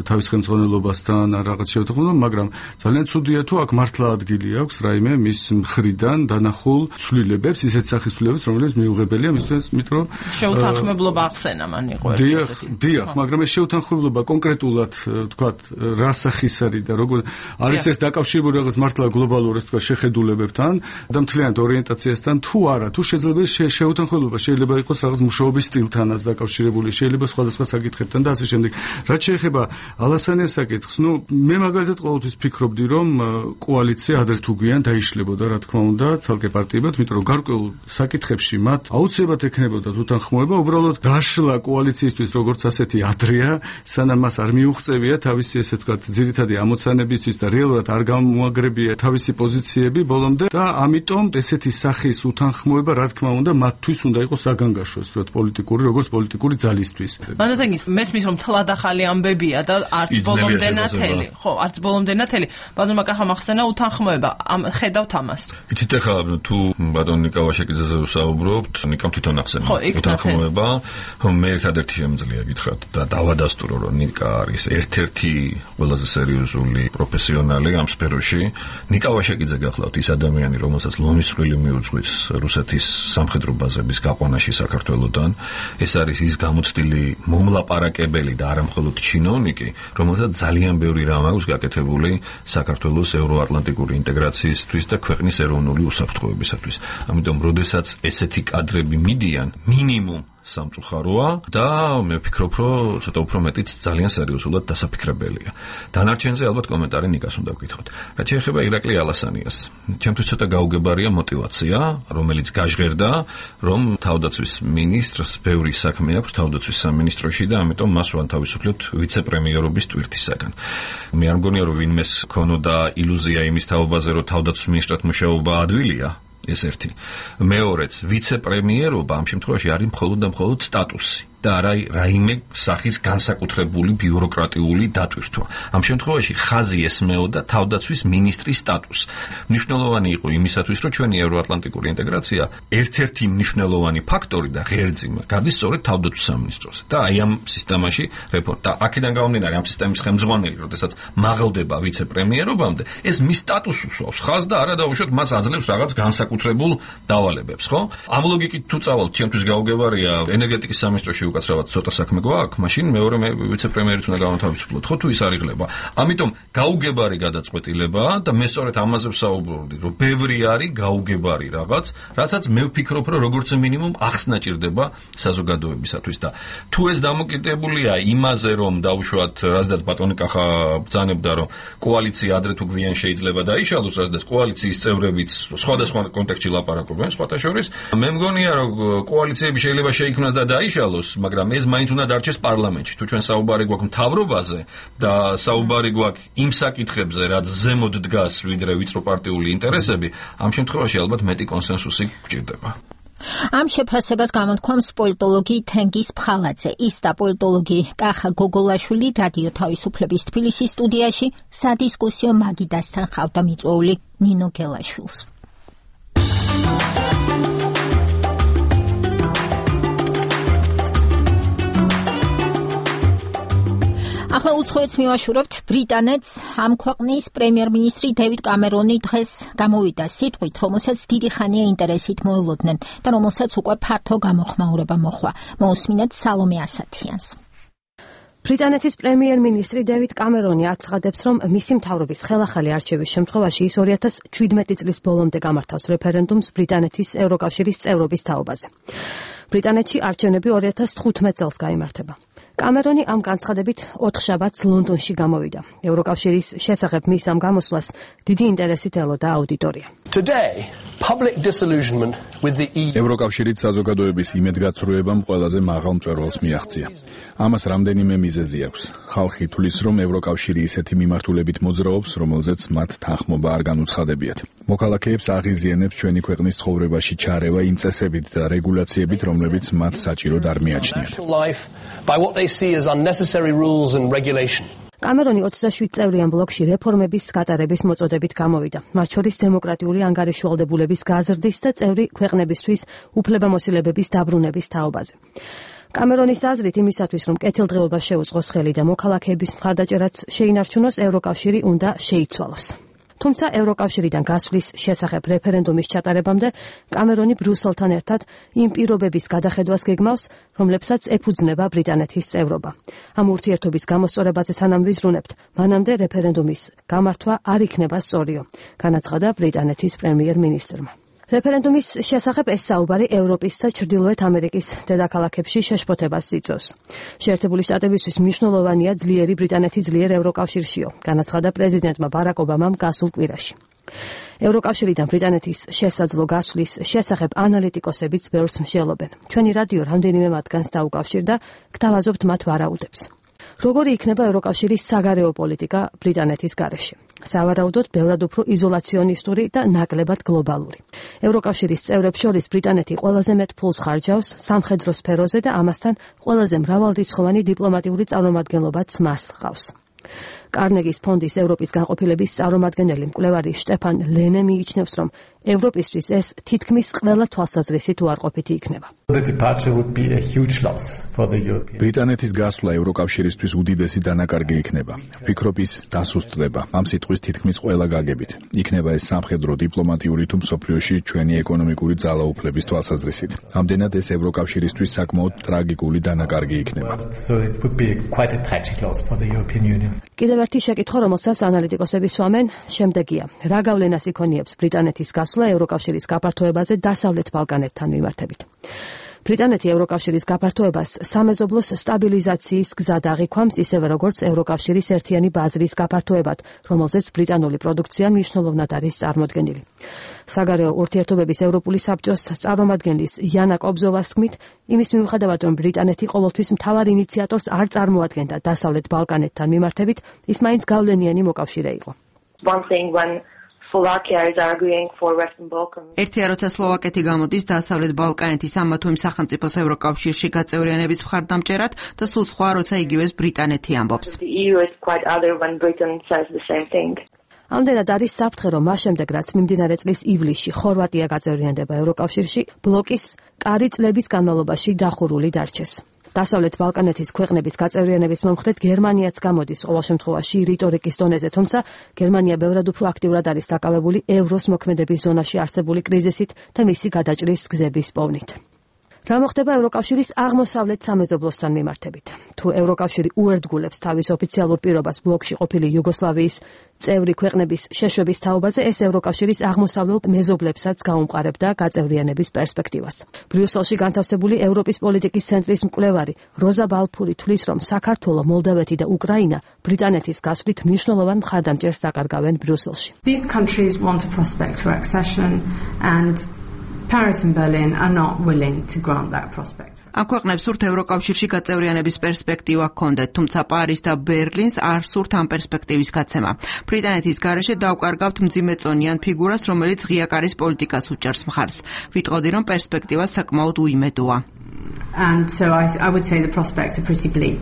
თავის ხელმძღვანელობასთან, რაღაც შეთანხმება, მაგრამ ძალიან ცუდია თუ აქ მართლა ადგილი აქვს რაიმე მის მხრიდან დანახულ ცვლილებებს, ისეთ სახისრულებს, რომელიც მიუღებელია მისთვის, იმიტომ რომ შეუთანხმებლობა ახსენა მან იყო ერთი. დიახ, მაგრამ ეს შეუთანხმებლობა კონკრეტულად, თქვათ, რა სახის არის და როგორ არის ეს დაკავშირებული რაღაც მართლა გლობალურ, ეს თქვათ, შეხედულებებთან და მთლიანად ორიენტაციასთან თუ არა, თუ შეიძლება შეუთანხმებლობა შეიძლება იყოს რაღაც მუშაობის სტილთანაც დაკავშირებული, შეიძლება სხვადასხვა საკითხებთან და ასე შემდეგ. რაც შეეხება ალასანიას საკითხს, მე მაგალითად ყოველთვის ფიქრობდი, რომ კოალიცია ადრე თუ გვიან დაიშლებოდა, რა თქმა უნდა, ცალკე პარტიებად, იმიტომ რომ გარკვეულ საკითხებში მათ აუცილებლად ექნებოდა თვითანხმოება, უბრალოდ დაშლა კოალიციისთვის როგორც ასეთი ადრეა, სანამ მას არ მიუღწევია თავისი ესე ვთქვათ ძირითადი ამოცანებისთვის და რეალურად არ გამოაგრებია თავისი პოზიციები ბოლომდე და ამიტომ ესეთი სახის უთანხმოება რა თქმა უნდა მათთვის უნდა იყოს საგანგაშო, ასე ვთქვათ, პოლიტიკური, როგორც პოლიტიკური ძალისთვის. მანდათენგის მესმის რომ თლად ახალი ამბებია და არც ბოლომდე ნათელი. ხო, არც ბოლომდე ნათელი. ბატონმა კახამ ახსენა უთანხმოება. ხედავთ ამას. იცით ახლა თუ ბატონ ნიკა კავაშაკიძეზე ვსაუბრობთ, ნიკამ თვითონ ახსენე. უთანხმოება, მე ერთადერთი შემიძლია გითხრათ და დავადასტურო, რომ ნიკა არის ერთ-ერთი ყველაზე სერიოზული პროფესიონალი ამ სფეროში. ნიკა ვაშაკიძე გახლავთ ის ადამიანი, რომელსაც ლომის წვლილი მიუძღვის რუსეთის სამხედრო ბაზების გაყვანაში საქართველოსთან. ეს არის ის გამოცდილი მომლაპარაკებელი და არა მხოლოდ ჩინოვნიკი, რომელსაც ძალიან ბევრი რამ აქვს გაკეთებული საქართველოს ევროატლანტიკური ინტეგრაციისთვის და ქვეყნის ეროვნული უსაფრთხოებისათვის. ამიტომ, როდესაც ესეთი კადრები მიდიან, მინიმუმ სამწუხაროა და მე ვფიქრობ, რომ ცოტა უფრო მეტიც ძალიან სერიოზულად დასაფიქრებელია. დანარჩენზე ალბათ კომენტარი ნიკას უნდა ვკითხოთ. რაც შეეხება ირაკლი ალასანიას, ჩემთვის ცოტა გაუგებარია мотиваცია, რომელიც გაჟღერდა, რომ თავდაცვის მინისტრს ბევრი საქმე აქვს თავდაცვის სამინისტროში და ამიტომ მას ვანთავისუფლებთ ვიცე-პრემიერობის ტვირთისაგან. მე არ მგონია, რომ ვინმეს ქონოდა ილუზია იმის თაობაზე, რომ თავდაცვის მინისტრად მუშაობა ადვილია. ეს ერთი. მეორეც, ვიცე-პრემიერობა ამ შემთხვევაში არის მხოლოდ და მხოლოდ სტატუსი და არა რაიმე სახის განსაკუთრებული ბიუროკრატიული დატვირთვა. ამ შემთხვევაში ხაზი ესმეოდა თავდაცვის მინისტრის სტატუსს. მნიშვნელოვანი იყო იმისათვის, რომ ჩვენი ევროატლანტიკური ინტეგრაცია ერთ-ერთი მნიშვნელოვანი ფაქტორი და ღერძი გადის სწორედ თავდაცვის სამინისტროზე. და აი ამ სისტემაში რეფორმა და აქედან გამომდინარე ამ სისტემის ხელმძღვანელი, როდესაც მაღლდება ვიცე-პრემიერობამდე, ეს მის სტატუსს უსვავს ხაზს და არა დაუშვათ მას აძლევს რაღაც განსაკუთრებულ დავალებებს, ხო? ამ ლოგიკით თუ წავალთ, ჩემთვის გაუგებარია ენერგეტიკის სამინისტროში უკაცრავად ცოტა საქმე გვაქვს, მაშინ მეორე ვიცე-პრემიერიც უნდა გავანთავისუფლოთ, ხო თუ ის არ იღლება. ამიტომ გაუგებარი გადაწყვეტილება და მე სწორედ ამაზე ვსაუბრობდი, რომ ბევრი არის გაუგებარი რაღაც, რასაც მე ვფიქრობ, რომ როგორც მინიმუმ ახსნა ჭირდება საზოგადოებისათვის და თუ ეს დამოკიდებულია იმაზე, რომ დაუშვათ, რაზედაც ბატონი კახა ბრძანებდა, რომ კოალიცია ადრე თუ გვიან შეიძლება დაიშალოს, რაზედაც კოალიციის წევრებიც სხვადასხვა კონტექსტში ლაპარაკობენ, სხვათა შორის, მე მგონია, რომ კოალიციები შეიძლება შეიქმნას და დაიშალოს, მაგრამ ეს მაინც უნდა დარჩეს პარლამენტში. თუ ჩვენ საუბარი გვაქვს მთავრობაზე და საუბარი გვაქვს იმ საკითხებზე, რაც ზემოთ დგას, ვიდრე ვიწროპარტიული ინტერესები, ამ შემთხვევაში ალბათ მეტი კონსენსუსი გვჭირდება. ამ შეფასებას გამოთქვამს პოლიტოლოგი თენგიზ ფხალაძე. ის და პოლიტოლოგი კახა გოგოლაშვილი რადიო თავისუფლების თბილისის სტუდიაში სადისკუსიო მაგიდასთან ხავდა მიწვეული ნინო გელაშვილს. ახლა უცხოეთს მივაშურებთ ბრიტანეთს. ამ ქვეყნის პრემიერ-მინისტრი დევიდ კამერონი დღეს გამოვიდა სიტყვით, რომელსაც დიდი ხანია ინტერესით მოელოდნენ და რომელსაც უკვე ფართო გამოხმაურება მოჰყვა. მოусმინეთ სალომე ასათიანს. ბრიტანეთის პრემიერ-მინისტრი დევიდ კამერონი აცხადებს, რომ მისი მთავრობის ხელახალი არჩევის შემთხვევაში ის 2017 წლის ბოლომდე გამართავს რეფერენდუმს ბრიტანეთის ევროკავშირის წევრობის თაობაზე. ბრიტანეთში არჩევნები 2015 წელს გაიმართება. კამერონი ამ განცხადებით 4 შაბათს ლონდონში გამოვიდა. ევროკავშირის შესახებ მის ამ გამოსვლას დიდი ინტერესით ელოდა აუდიტორია. ევროკავშირით საზოგადოების იმედგაცრუებამ ყველაზე მაღალ მწვერვალს მიაღწია. ამას რამდენიმე მიზეზი აქვს. ხალხი თვლის, რომ ევროკავშირი ისეთი მიმართულებით მოძრაობს, რომელზეც მათ თანხმობა არ განუცხადებიათ. მოქალაქეებს აღიზიანებს ჩვენი ქვეყნის ცხოვრებაში ჩარევა იმ წესებით და რეგულაციებით, რომლებიც მათ საჭიროდ არ მიაჩნიათ. კამერონი 27 წევრიან ბლოკში რეფორმების გატარების მოწოდებით გამოვიდა. მათ შორის დემოკრატიული ანგარიშვალდებულების გაზრდის და წევრი ქვეყნებისთვის უფლებამოსილებების დაბრუნების თაობაზე. კამერონის აზრით იმისათვის, რომ კეთილდღეობა შეუწყოს ხელი და მოქალაქეების მხარდაჭერაც შეინარჩუნოს, ევროკავშირი უნდა შეიცვალოს. თუმცა ევროკავშირიდან გასვლის შესახებ რეფერენდუმის ჩატარებამდე კამერონი ბრიუსელთან ერთად იმ პირობების გადახედვას გეგმავს, რომლებსაც ეფუძნება ბრიტანეთის წევრობა. ამ ურთიერთობის გამოსწორებაზე სანამ ვიზრუნებთ, მანამდე რეფერენდუმის გამართვა არ იქნება სწორიო, განაცხადა ბრიტანეთის პრემიერ-მინისტრმა. რეფერენდუმის შესახებ ეს საუბარი ევროპის და ჩრდილოეთ ამერიკის დედაქალაქებში შეშფოთებას იწვევს. შეერთებული შტატებისთვის მნიშვნელოვანია ძლიერი ბრიტანეთის ძლიერ ევროკავშირშიო, განაცხადა პრეზიდენტმა ბარაკ ობამამ გასულ კვირაში. ევროკავშირიდან ბრიტანეთის შესაძლო გასვლის შესახებ ანალიტიკოსებიც ბევრს მსჯელობენ. ჩვენი რადიო რამდენიმე მათგანს დაუკავშირდა, გთავაზობთ მათ ვარაუდებს. როგორი იქნება ევროკავშირის საგარეო პოლიტიკა ბრიტანეთის გარეშე? სავარაუდოდ ბევრად უფრო იზოლაციონისტური და ნაკლებად გლობალური. ევროკავშირის წევრებს შორის ბრიტანეთი ყველაზე მეტ ფულს ხარჯავს სამხედრო სფეროზე და ამასთან ყველაზე მრავალრიცხოვანი დიპლომატიური წარმომადგენლობაც მას ჰყავს. კარნეგის ფონდის ევროპის განყოფილების წარმომადგენელი მკვლევარი შტეფან ლენე მიიჩნევს, რომ ევროპისთვის ეს თითქმის ყველა თვალსაზრისით უარყოფითი იქნება. ბრიტანეთის გასვლა ევროკავშირისთვის უდიდესი დანაკარგი იქნება. ვფიქრობ, ის დასუსტდება. ამ სიტყვის თითქმის ყველა გაგებით. იქნება ეს სამხედრო, დიპლომატიური თუ მსოფლიოში ჩვენი ეკონომიკური ძალაუფლების თვალსაზრისით. ამდენად ეს ევროკავშირისთვის საკმაოდ ტრაგიკული დანაკარგი იქნება. კიდევ ერთი შეკითხვა, რომელსაც ანალიტიკოსები სვამენ, შემდეგია: რა გავლენას იქონიებს ბრიტანეთის გასვლა ევროკავშირის გაფართოებაზე დასავლეთ ბალკანეთთან მიმართებით? ბრიტანეთი ევროკავშირის გაფართოებას სამეზობლოს სტაბილიზაციის გზად აღიქვამს, ისევე როგორც ევროკავშირის ერთიანი ბაზრის გაფართოებად, რომელზეც ბრიტანული პროდუქცია მნიშვნელოვნად არის წარმოდგენილი. საგარეო ურთიერთობების ევროპული საბჭოს წარმომადგენლის იანა კობზოვას თქმით, იმის მიუხედავად, რომ ბრიტანეთი ყოველთვის მთავარ ინიციატორს არ წარმოადგენდა დასავლეთ ბალკანეთთან მიმართებით, ის მაინც გავლენიანი მოკავშირე იყო. ერთია, როცა სლოვაკეთი გამოდის დასავლეთ ბალკანეთის ამა თუ იმ სახელმწიფოს ევროკავშირში გაწევრიანების მხარდამჭერად და სულ სხვა, როცა იგივეს ბრიტანეთი ამბობს. ამდენად არის საფრთხე, რომ მას შემდეგ, რაც მიმდინარე წლის ივლისში ხორვატია გაწევრიანდება ევროკავშირში, ბლოკის კარი წლების განმავლობაში დახურული დარჩეს. დასავლეთ ბალკანეთის ქვეყნების გაწევრიანების მომხრედ გერმანიაც გამოდის ყოველ შემთხვევაში რიტორიკის დონეზე, თუმცა გერმანია ბევრად უფრო აქტიურად არის დაკავებული ევროს მოქმედების ზონაში არსებული კრიზისით და მისი გადაჭრის გზების პოვნით. რა მოხდება ევროკავშირის აღმოსავლეთ სამეზობლოსთან მიმართებით? თუ ევროკავშირი უერთგულებს თავის ოფიციალურ პირობას ბლოკში ყოფილი იუგოსლავიის წევრი ქვეყნების შეშვების თაობაზე, ეს ევროკავშირის აღმოსავლელ მეზობლებსაც გაუმყარებდა გაწევრიანების პერსპექტივას. ბრიუსელში განთავსებული ევროპის პოლიტიკის ცენტრის მკვლევარი როზა ბალფური თვლის, რომ საქართველო, მოლდავეთი და უკრაინა ბრიტანეთის გასვლით მნიშვნელოვან მხარდამჭერს დაკარგავენ ბრიუსელში. These countries want a prospect for accession and Paris and Berlin are not willing to grant that prospect. ამ ქვეყნებს სურთ ევროკავშირში გაწევრიანების პერსპექტივა ჰქონდეთ, თუმცა პარის და ბერლინს არ სურთ ამ პერსპექტივის გაცემა. ბრიტანეთის გარეშე დავკარგავთ მძიმეწონიან ფიგურას, რომელიც ღიაკარის პოლიტიკას უჭერს მხარს. ვიტყოდი, რომ პერსპექტივა საკმაოდ უიმედოა. And so I would say the prospects are pretty bleak.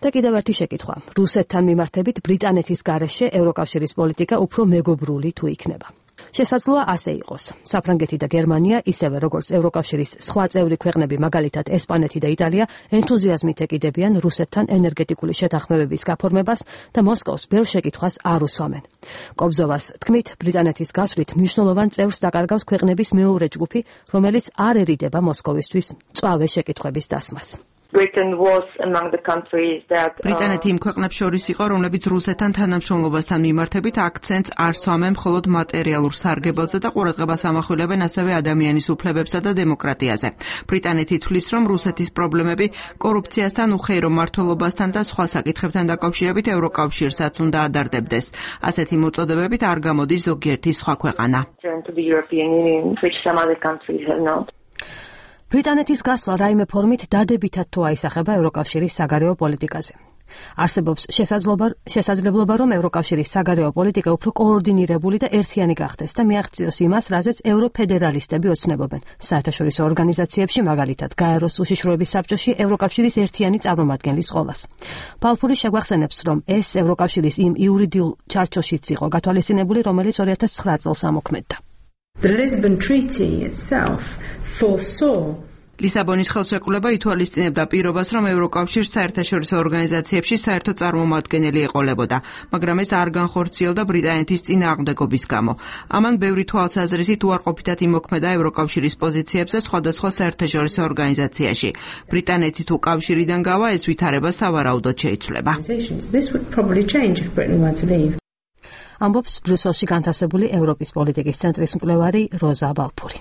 და კიდევ ერთი შეკითხვა. რუსეთთან მიმართებით ბრიტანეთის გარეშე ევროკავშირის პოლიტიკა უფრო მეგობრული თუ იქნება? შესაძლოა ასე იყოს. საფრანგეთი და გერმანია, ისევე როგორც ევროკავშირის სხვა წევრი ქვეყნები, მაგალითად ესპანეთი და იტალია, ენთუზიაზმით ეკიდებიან რუსეთთან ენერგეტიკული შეთანხმებების გაფორმებას და მოსკოვს ბევრ შეკითხვას არ უსვამენ. კობზოვას თქმით, ბრიტანეთის გასვლით მნიშვნელოვან წევრს დაკარგავს ქვეყნების მეორე ჯგუფი, რომელიც არ ერიდება მოსკოვისთვის მწვავე შეკითხვების დასმას. ბრიტანეთი იმ ქვეყნებს შორის იყო, რომლებიც რუსეთთან თანამშრომლობასთან მიმართებით აქცენტს არ სვამენ მხოლოდ მატერიალურ სარგებელზე და ყურადღებას ამახვილებენ ასევე ადამიანის უფლებებსა და დემოკრატიაზე. ბრიტანეთი თვლის, რომ რუსეთის პრობლემები კორუფციასთან, უხეირო მმართველობასთან და სხვა საკითხებთან დაკავშირებით ევროკავშირსაც უნდა ადარდებდეს. ასეთი მოწოდებებით არ გამოდის ზოგიერთი სხვა ქვეყანა. ბრიტანეთის გასვლა რაიმე ფორმით დადებითად თუ აისახება ევროკავშირის საგარეო პოლიტიკაზე. არსებობს შესაძლებლობა, რომ ევროკავშირის საგარეო პოლიტიკა უფრო კოორდინირებული და ერთიანი გახდეს და მიაღწიოს იმას, რაზეც ევროფედერალისტები ოცნებობენ. საერთაშორისო ორგანიზაციებში, მაგალითად, გაეროს უშიშროების საბჭოში ევროკავშირის ერთიანი წარმომადგენლის ყოლას. ბალფური შეგვახსენებს, რომ ეს ევროკავშირის იმ იურიდიულ ჩარჩოშიც იყო გათვალისწინებული, რომელიც 2009 წელს ამოქმედდა. The Lisbon Treaty itself foresaw ლისაბონის ხელშეკრულება ითვალისწინებდა პირობას, რომ ევროკავშირს საერთაშორისო ორგანიზაციებში საერთო წარმომადგენელი ეყოლებოდა, მაგრამ ეს არ განხორციელდა ბრიტანეთის წინააღმდეგობის გამო. ამან ბევრი თვალსაზრისით უარყოფითად იმოქმედა ევროკავშირის პოზიციებზე სხვადასხვა საერთაშორისო ორგანიზაციაში. ბრიტანეთი თუ კავშირიდან გავა, ეს ვითარება სავარაუდოდ შეიცვლება. ამბობს ბრიუსელში განთავსებული ევროპის პოლიტიკის ცენტრის მკვლევარი როზა ბალფური.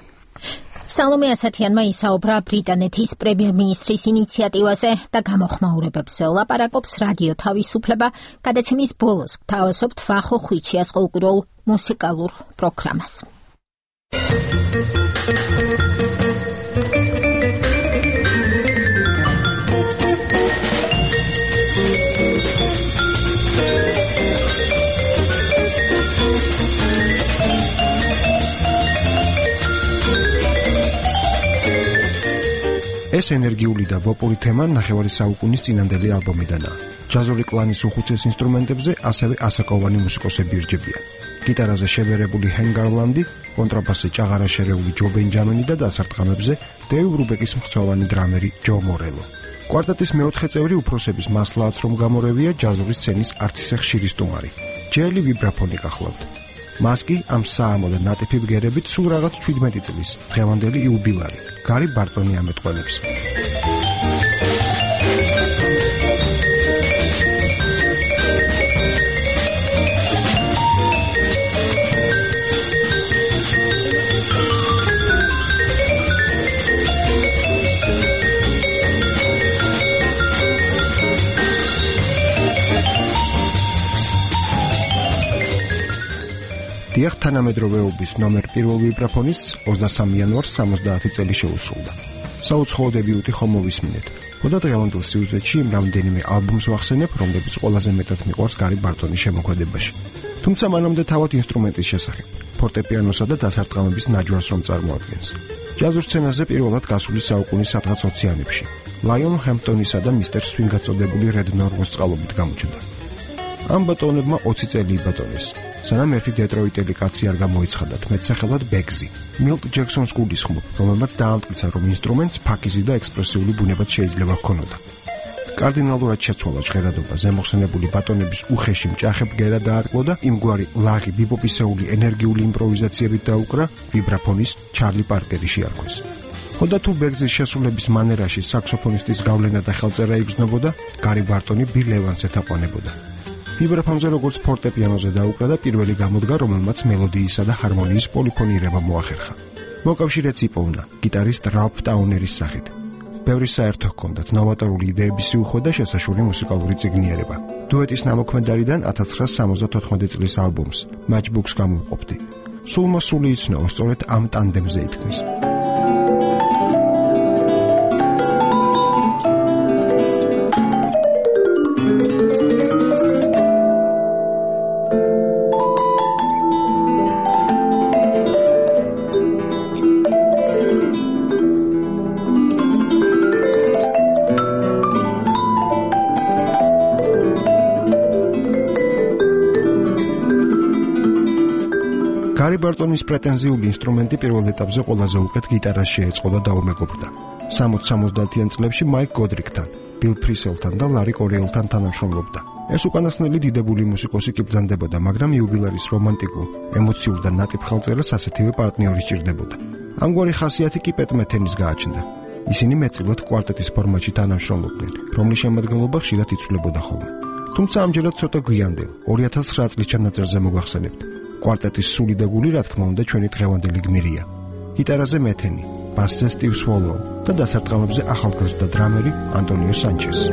სალომე ასათიანმა ისაუბრა ბრიტანეთის პრემიერ-მინისტრის ინიციატივაზე და გამოხმაურებებს ლაპარაკობს რადიო თავისუფლება. გადაცემის ბოლოს გთავაზობთ ვახო ხვიჩიას ყოლკურულ მუსიკალურ პროგრამას. ეს ენერგიული და ვოპური თემა ნახევარი საუკუნის წინანდელი ალბომიდანაა. ჯაზური კლანის უხუცეს ინსტრუმენტებზე ასევე ასაკოვანი მუსიკოსები ირჯებიან. გიტარაზე შებერებული ჰენ გარლანდი, კონტრაბასზე ჭაღარა შერეული ჯო ბენჯამენი და დასარტყამებზე დეივ რუბეკის მხცოვანი დრამერი ჯო მორელო. კვარტეტის მეოთხე წევრი უფროსების მასლააც რომ გამორევია ჯაზური სცენის არც ისე ხშირი სტუმარი. ჯელი ვიბრაფონი გახლავთ. მას კი ამ საამო და ნატიფი ბგერებით სულ რაღაც 17 წლის დღევანდელი იუბილარი გარი ბარტონი ამეტყველებს. დიახ, თანამედროვეობის ნომერ პირველ ვიბრაფონის 23 იანვარს 70 წელი შეუსრულდა. საუცხოო დებიუტი ხომ მოვისმინეთ. ხოდა დღევანდელ სიუჟეტში რამდენიმე ალბომს ვახსენებ, რომლებიც ყველაზე მეტად მიყვარს გარი ბარტონის შემოქმედებაში. თუმცა მანამდე თავად ინსტრუმენტის შესახებ, ფორტეპიანოსა და დასარტყამების ნაჯვარს რომ წარმოადგენს. ჯაზურ სცენაზე პირველად გასული საუკუნის სადღაც 20-იანებში ლაიონ ჰემპტონისა და მისტერ სვინგ გაწოდებული რედ ნორვოს წყალობით გამოჩნდა. ამ ბატონებმა 20 წელი იბატონეს. სანამ ერთი დეტროიტელი კაცი არ გამოიცხადათ მეტსახელად ბეგზი, მილკ ჯექსონს გულისხმობ, რომელმაც დაამტკიცა, რომ ინსტრუმენტს ფაქიზი და ექსპრესიული ბუნებაც შეიძლება ჰქონოდა. კარდინალურად შეცვალა ჟღერადობა, ზემოხსენებული ბატონების უხეში მჭახე ბგერა დაარკვო და იმგვარი ლაღი ბიბოპისეული ენერგიული იმპროვიზაციებით დაუკრა ვიბრაფონის ჩარლი პარკერი შეარქვეს. ხოდა თუ ბეგზის შესრულების მანერაში საქსოფონისტის გავლენა და ხელწერა იგრძნობოდა, გარი ბარტონი ბილ ევანსს ეთაყვანებოდა. ვიბრაფონზე როგორც ფორტეპიანოზე დაუკრა და პირველი გამოდგა, რომელმაც მელოდიისა და ჰარმონიის პოლიფონირება მოახერხა. მოკავშირეც იპოვნა გიტარისტ რალფ ტაუნერის სახით. ბევრი საერთო ჰქონდათ ნოვატორული იდეების სიუხვე და შესაშური მუსიკალური წიგნიერება. დუეტის ნამოქმედარიდან 1974 წლის ალბომს Matchbox გამოვყოფდი. სულმა სული იცნო სწორედ ამ ტანდემზე ითქმის. გარი ბარტონის პრეტენზიული ინსტრუმენტი პირველ ეტაპზე ყველაზე უკეთ გიტარას შეეწყო და დაუმეგობრდა. 60-70-იან წლებში მაიკ გოდრიკთან, ბილ ფრისელთან და ლარი კორიელთან თანამშრომლობდა. ეს უკანასკნელი დიდებული მუსიკოსი კი ბრძანდებოდა, მაგრამ იუბილარის რომანტიკულ, ემოციურ და ნატიფ ხელწერას ასეთივე პარტნიორი სჭირდებოდა. ამგვარი ხასიათი კი პეტ მეთენის გააჩნდა. ისინი მეტწილად კვარტეტის ფორმატში თანამშრომლობდნენ, რომლის შემადგენლობა ხშირად იცვლებოდა ხოლმე. თუმცა ამჯერად ცოტა გვიანდელ 2009 წლის ჩანაწერზე მოგახსენებთ. კვარტეტის სული და გული, რა თქმა უნდა, ჩვენი დღევანდელი გმირია. გიტარაზე მეთენი, ბასზე სტივ სვოლოუ და დასარტყამებზე ახალგაზრდა დრამერი ანტონიო სანჩესი.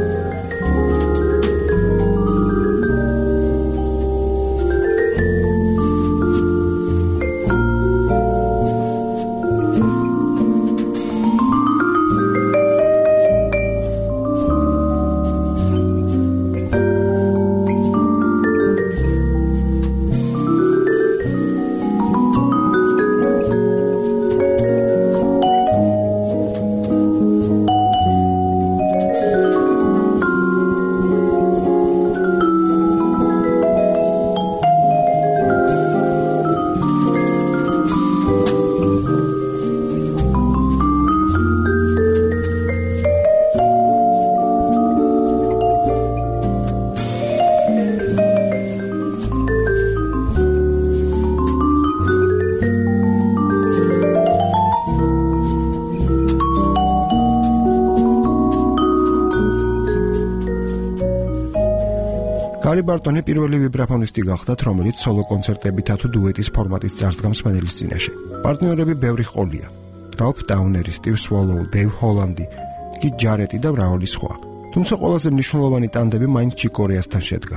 გარი ბარტონი პირველი ვიბრაფონისტი გახდათ, რომელიც სოლო კონცერტებითა თუ დუეტის ფორმატის წარსდგა მსმენელის წინაშე. პარტნიორები ბევრი ჰყოლია. რალფ ტაუნერი, სტივ სვოლოუ, დეივ ჰოლანდი, კით ჯარეტი და მრავალი სხვა. თუმცა ყველაზე მნიშვნელოვანი ტანდემი მაინც ჩიკ კორეასთან შედგა.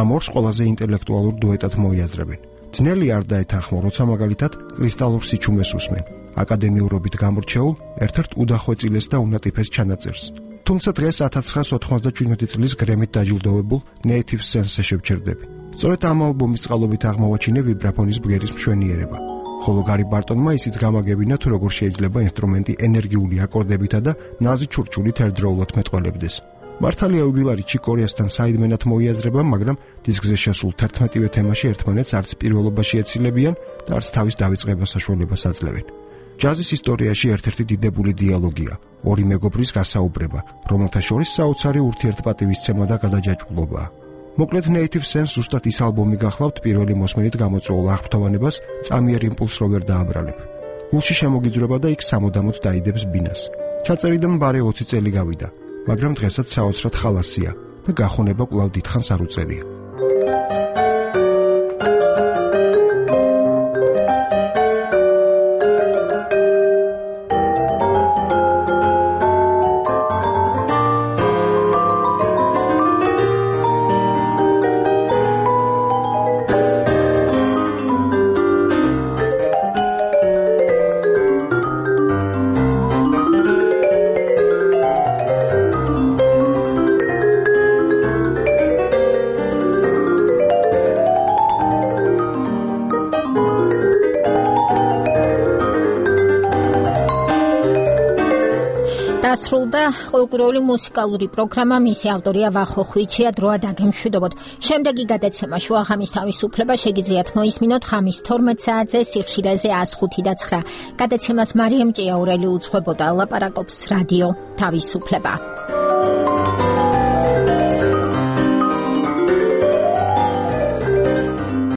ამ ორს ყველაზე ინტელექტუალურ დუეტად მოიაზრებენ. ძნელი არ დაეთანხმო, როცა მაგალითად კრისტალურ სიჩუმეს უსმენ. აკადემიურობით გამორჩეულ, ერთ-ერთ უდახვეწილეს და უნატიფეს ჩანაწერს. თუმცა დღეს 1997 წლის გრემით დაჯილდოვებულ Native Sense-ზე შევჩერდები. სწორედ ამ ალბომის წყალობით აღმოვაჩინე ვიბრაფონის ბგერის მშვენიერება. ხოლო გარი ბარტონმა ისიც გამაგებინა, თუ როგორ შეიძლება ინსტრუმენტი ენერგიული აკორდებითა და ნაზი ჩურჩულით ერთდროულად მეტყველებდეს. მართალია უბილარიჩი კორეასთან საიდმენად მოიაზრება, მაგრამ დისკზე შესულ 11-ვე თემაში ერთმანეთს არც პირველობაში ეცილებიან და არც თავის დავიწყებას საშუალებას აძლევენ. ჯაზის ისტორიაში ერთ-ერთი დიდებული დიალოგია, ორი მეგობრის გასაუბრება, რომელთა შორის საოცარი ურთიერთპატივისცემა და გადაჯაჭვულობაა. მოკლედ Native Sense ზუსტად ის ალბომი გახლავთ პირველი მოსმენით გამოწვეულ აღფრთოვანებას წამიერ იმპულს რო ვერ დააბრალებ. გულში შემოგიძვრება და იქ სამუდამოდ დაიდებს ბინას. ჩაწერიდან ბარე 20 წელი გავიდა, მაგრამ დღესაც საოცრად ხალასია და გახონება კვლავ დიდხანს არ უწერია. დასრულდა ყოველკვირეული მუსიკალური პროგრამა, მისი ავტორია ვახო ხვიჩია, დროა დაგემშვიდობოთ. შემდეგი გადაცემა შუაღამის თავისუფლება შეგიძლიათ მოისმინოთ ღამის 12 საათზე სიხშირეზე 105.9. გადაცემას მარიამ ჭიაურელი უძღვებოდა, ლაპარაკობს რადიო თავისუფლება.